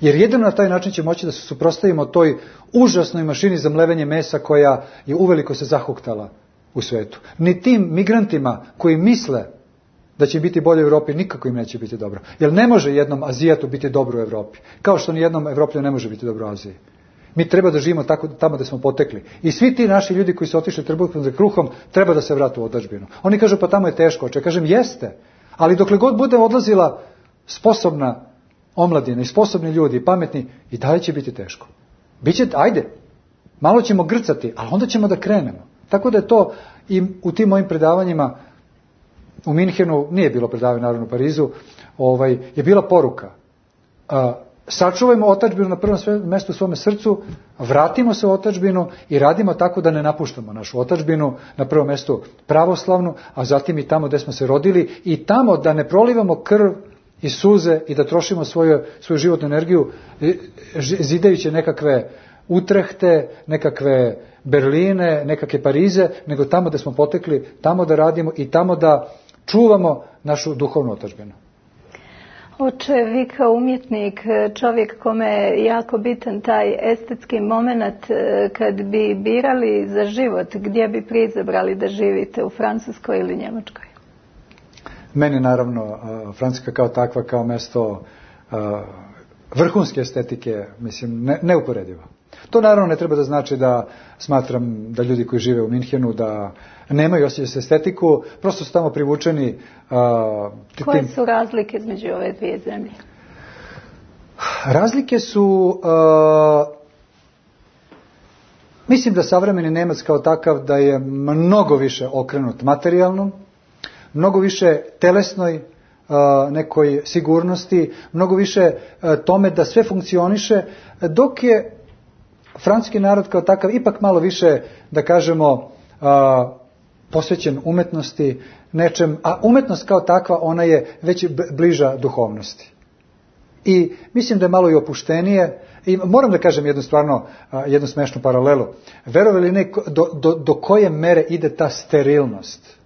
S3: Jer jedino na taj način će moći da se suprotstavimo toj užasnoj mašini za mlevenje mesa koja je uveliko se zahuktala u svetu. Ni tim migrantima koji misle da će biti bolje u Evropi, nikako im neće biti dobro. Jer ne može jednom Azijatu biti dobro u Evropi. Kao što ni jednom Evroplju ne može biti dobro u Aziji. Mi treba da živimo tamo gde smo potekli. I svi ti naši ljudi koji su otišli trbuhom za kruhom, treba da se vrate u otadžbinu. Oni kažu, pa tamo je teško. Ja kažem, jeste. Ali dokle god bude odlazila sposobna omladina i sposobni ljudi i pametni, i dalje će biti teško. Biće, ajde, malo ćemo grcati, ali onda ćemo da krenemo. Tako da je to i u tim mojim predavanjima u Minhenu, nije bilo predavanje naravno u Parizu, je bila poruka. Sačuvajmo otadžbinu na prvom mjestu u svome srcu, vratimo se u otadžbinu i radimo tako da ne napuštamo našu otadžbinu, na prvom mjestu pravoslavnu, a zatim i tamo gde smo se rodili, i tamo da ne prolivamo krv i suze i da trošimo svoju životnu energiju zidajući nekakve Utrehte, nekakve Berline, nekakve Parize, nego tamo gde smo potekli, tamo da radimo i tamo da čuvamo našu duhovnu otadžbinu.
S2: Oče, vi kao umjetnik, čovjek kome je jako bitan taj estetski moment, kad bi birali za život, gdje bi prizabrali da živite, u Francuskoj ili Njemačkoj?
S3: Meni naravno Francuska kao takva, kao mesto vrhunske estetike, mislim, neuporedivo. To naravno ne treba da znači da smatram da ljudi koji žive u Minhenu da nemaju osjećaj za estetiku, prosto su tamo privučeni.
S2: Koje su razlike između ove dvije zemlje?
S3: Razlike su, mislim da savremeni Nemac kao takav da je mnogo više okrenut materijalnom, mnogo više telesnoj nekoj sigurnosti, mnogo više tome da sve funkcioniše, dok je francuski narod kao takav ipak malo više, da kažemo, posvećen umetnosti, nečem, a umetnost kao takva, ona je već bliža duhovnosti. I mislim da je malo i opuštenije, i moram da kažem jednu smešnu paralelu. Verovali ili ne, do koje mere ide ta sterilnost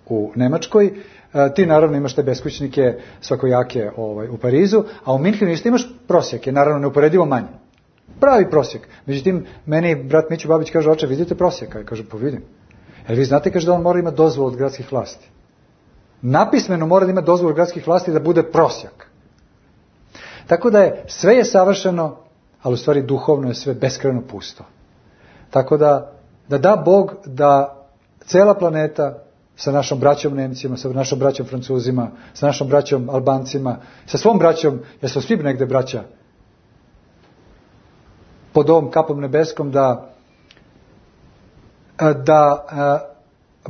S3: u Nemačkoj? Ti naravno imaš te beskućnike svakojake u Parizu, a u Minhenu isto imaš prosjeke, naravno neuporedivo manje. Pravi prosjek. Međutim, meni brat Mićo Babić kaže, oče, vidite prosjeka? Ja kažem, pa vidim. Jer vi znate, kaže, da on mora imati dozvolu od gradskih vlasti. Napismeno mora da ima dozvolu od gradskih vlasti da bude prosjak. Tako da sve je savršeno, ali u stvari duhovno je sve beskrajno pusto. Tako da Bog da cela planeta sa našom braćom Nemcima, sa našom braćom Francuzima, sa našom braćom Albancima, sa svom braćom, jer smo svi negde braća, pod ovom kapom nebeskom, da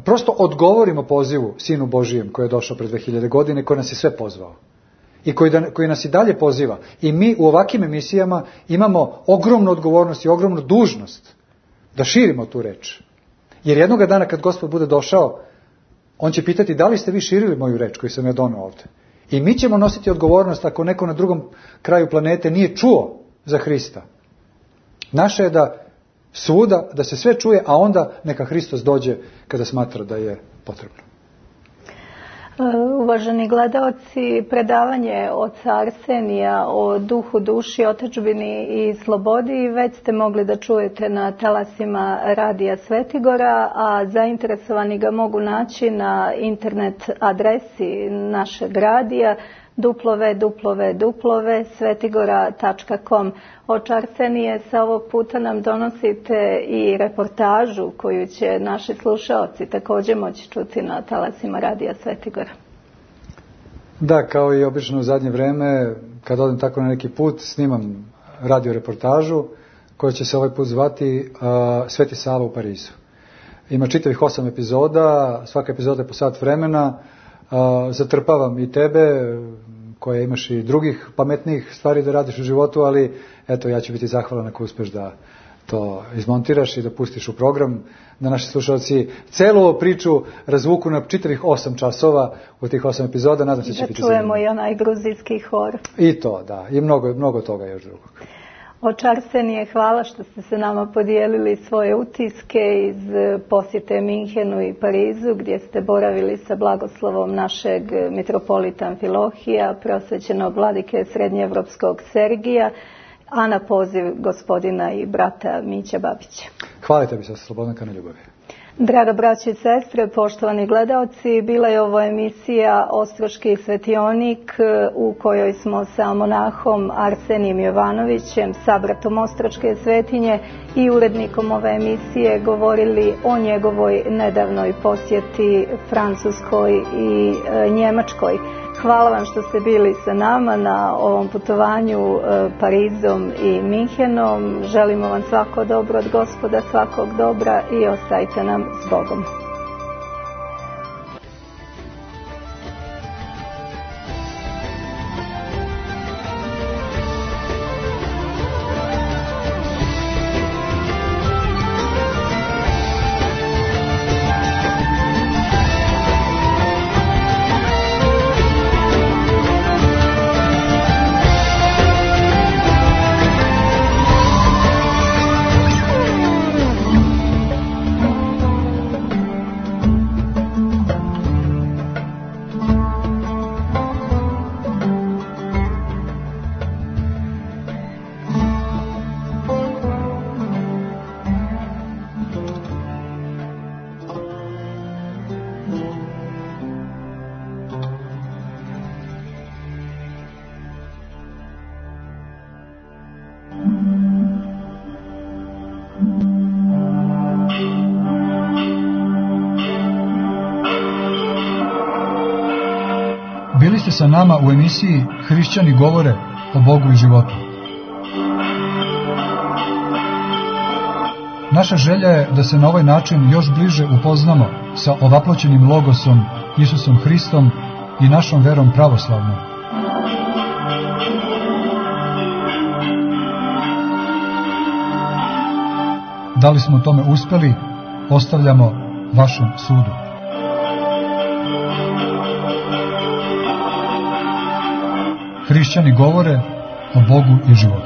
S3: prosto odgovorimo pozivu Sinu Božijem koji je došao pred 2000 godine i koji nas je sve pozvao. I koji nas i dalje poziva. I mi u ovakvim emisijama imamo ogromnu odgovornost i ogromnu dužnost da širimo tu reč. Jer jednoga dana kad Gospod bude došao, on će pitati da li ste vi širili moju reč koju sam ja doneo ovdje. I mi ćemo nositi odgovornost ako neko na drugom kraju planete nije čuo za Hrista. Naše je da svuda, da se sve čuje, a onda neka Hristos dođe kada smatra da je potrebno.
S2: Uvaženi gledaoci, predavanje oca Arsenija o duhu, duši, otadžbini i slobodi već ste mogli da čujete na talasima Radija Svetigora, a zainteresovani ga mogu naći na internet adresi našeg radija www.svetigora.com. Oče Arsenije, sa ovog puta nam donosite i reportažu koju će naši slušaoci također moći čuti na talasima Radija Svetigora.
S3: Da, kao i obično u zadnje vreme, kad odem tako na neki put, snimam radio reportažu koja će se ovaj put zvati Sveti Sava u Parizu. Ima čitavih 8 epizoda, svaka epizoda je po sat vremena. Zatrpavam i tebe, koje imaš i drugih pametnijih stvari da radiš u životu, ali eto, ja ću biti zahvalan ako uspeš da to izmontiraš i da pustiš u program, da naši slušalci celu ovu priču razvuku na čitavih 8 časova u tih 8 epizoda. Nadam se će biti zanimljivo.
S2: Da čujemo i onaj gruzijski hor.
S3: I to, da. I mnogo toga još drugog.
S2: Oče Arsenije, hvala što ste se nama podijelili svoje utiske iz posjete Minhenu i Parizu, gdje ste boravili sa blagoslovom našeg mitropolita Amfilohija, preosvećenog vladike srednjeevropskog Sergija, a na poziv gospodina i brata Mića Babića.
S3: Hvala tebi, sestra Slobodanka, na ljubavi.
S2: Draga braće i sestre, poštovani gledaoci, bila je ovo emisija Ostroški svetionik u kojoj smo sa monahom Arsenijem Jovanovićem, sabratom Ostroške svetinje i urednikom ove emisije govorili o njegovoj nedavnoj posjeti Francuskoj i Njemačkoj. Hvala vam što ste bili sa nama na ovom putovanju Parizom i Minhenom. Želimo vam svako dobro od Gospoda, svakog dobra i ostajte nam s Bogom.
S1: Bili ste sa nama u emisiji Hrišćani govore o Bogu i životu. Naša želja je da se na ovaj način još bliže upoznamo sa ovaploćenim logosom Isusom Hristom i našom verom pravoslavnom. Da li smo tome uspeli, ostavljamo vašem sudu. Hrišćani govore o Bogu i životu.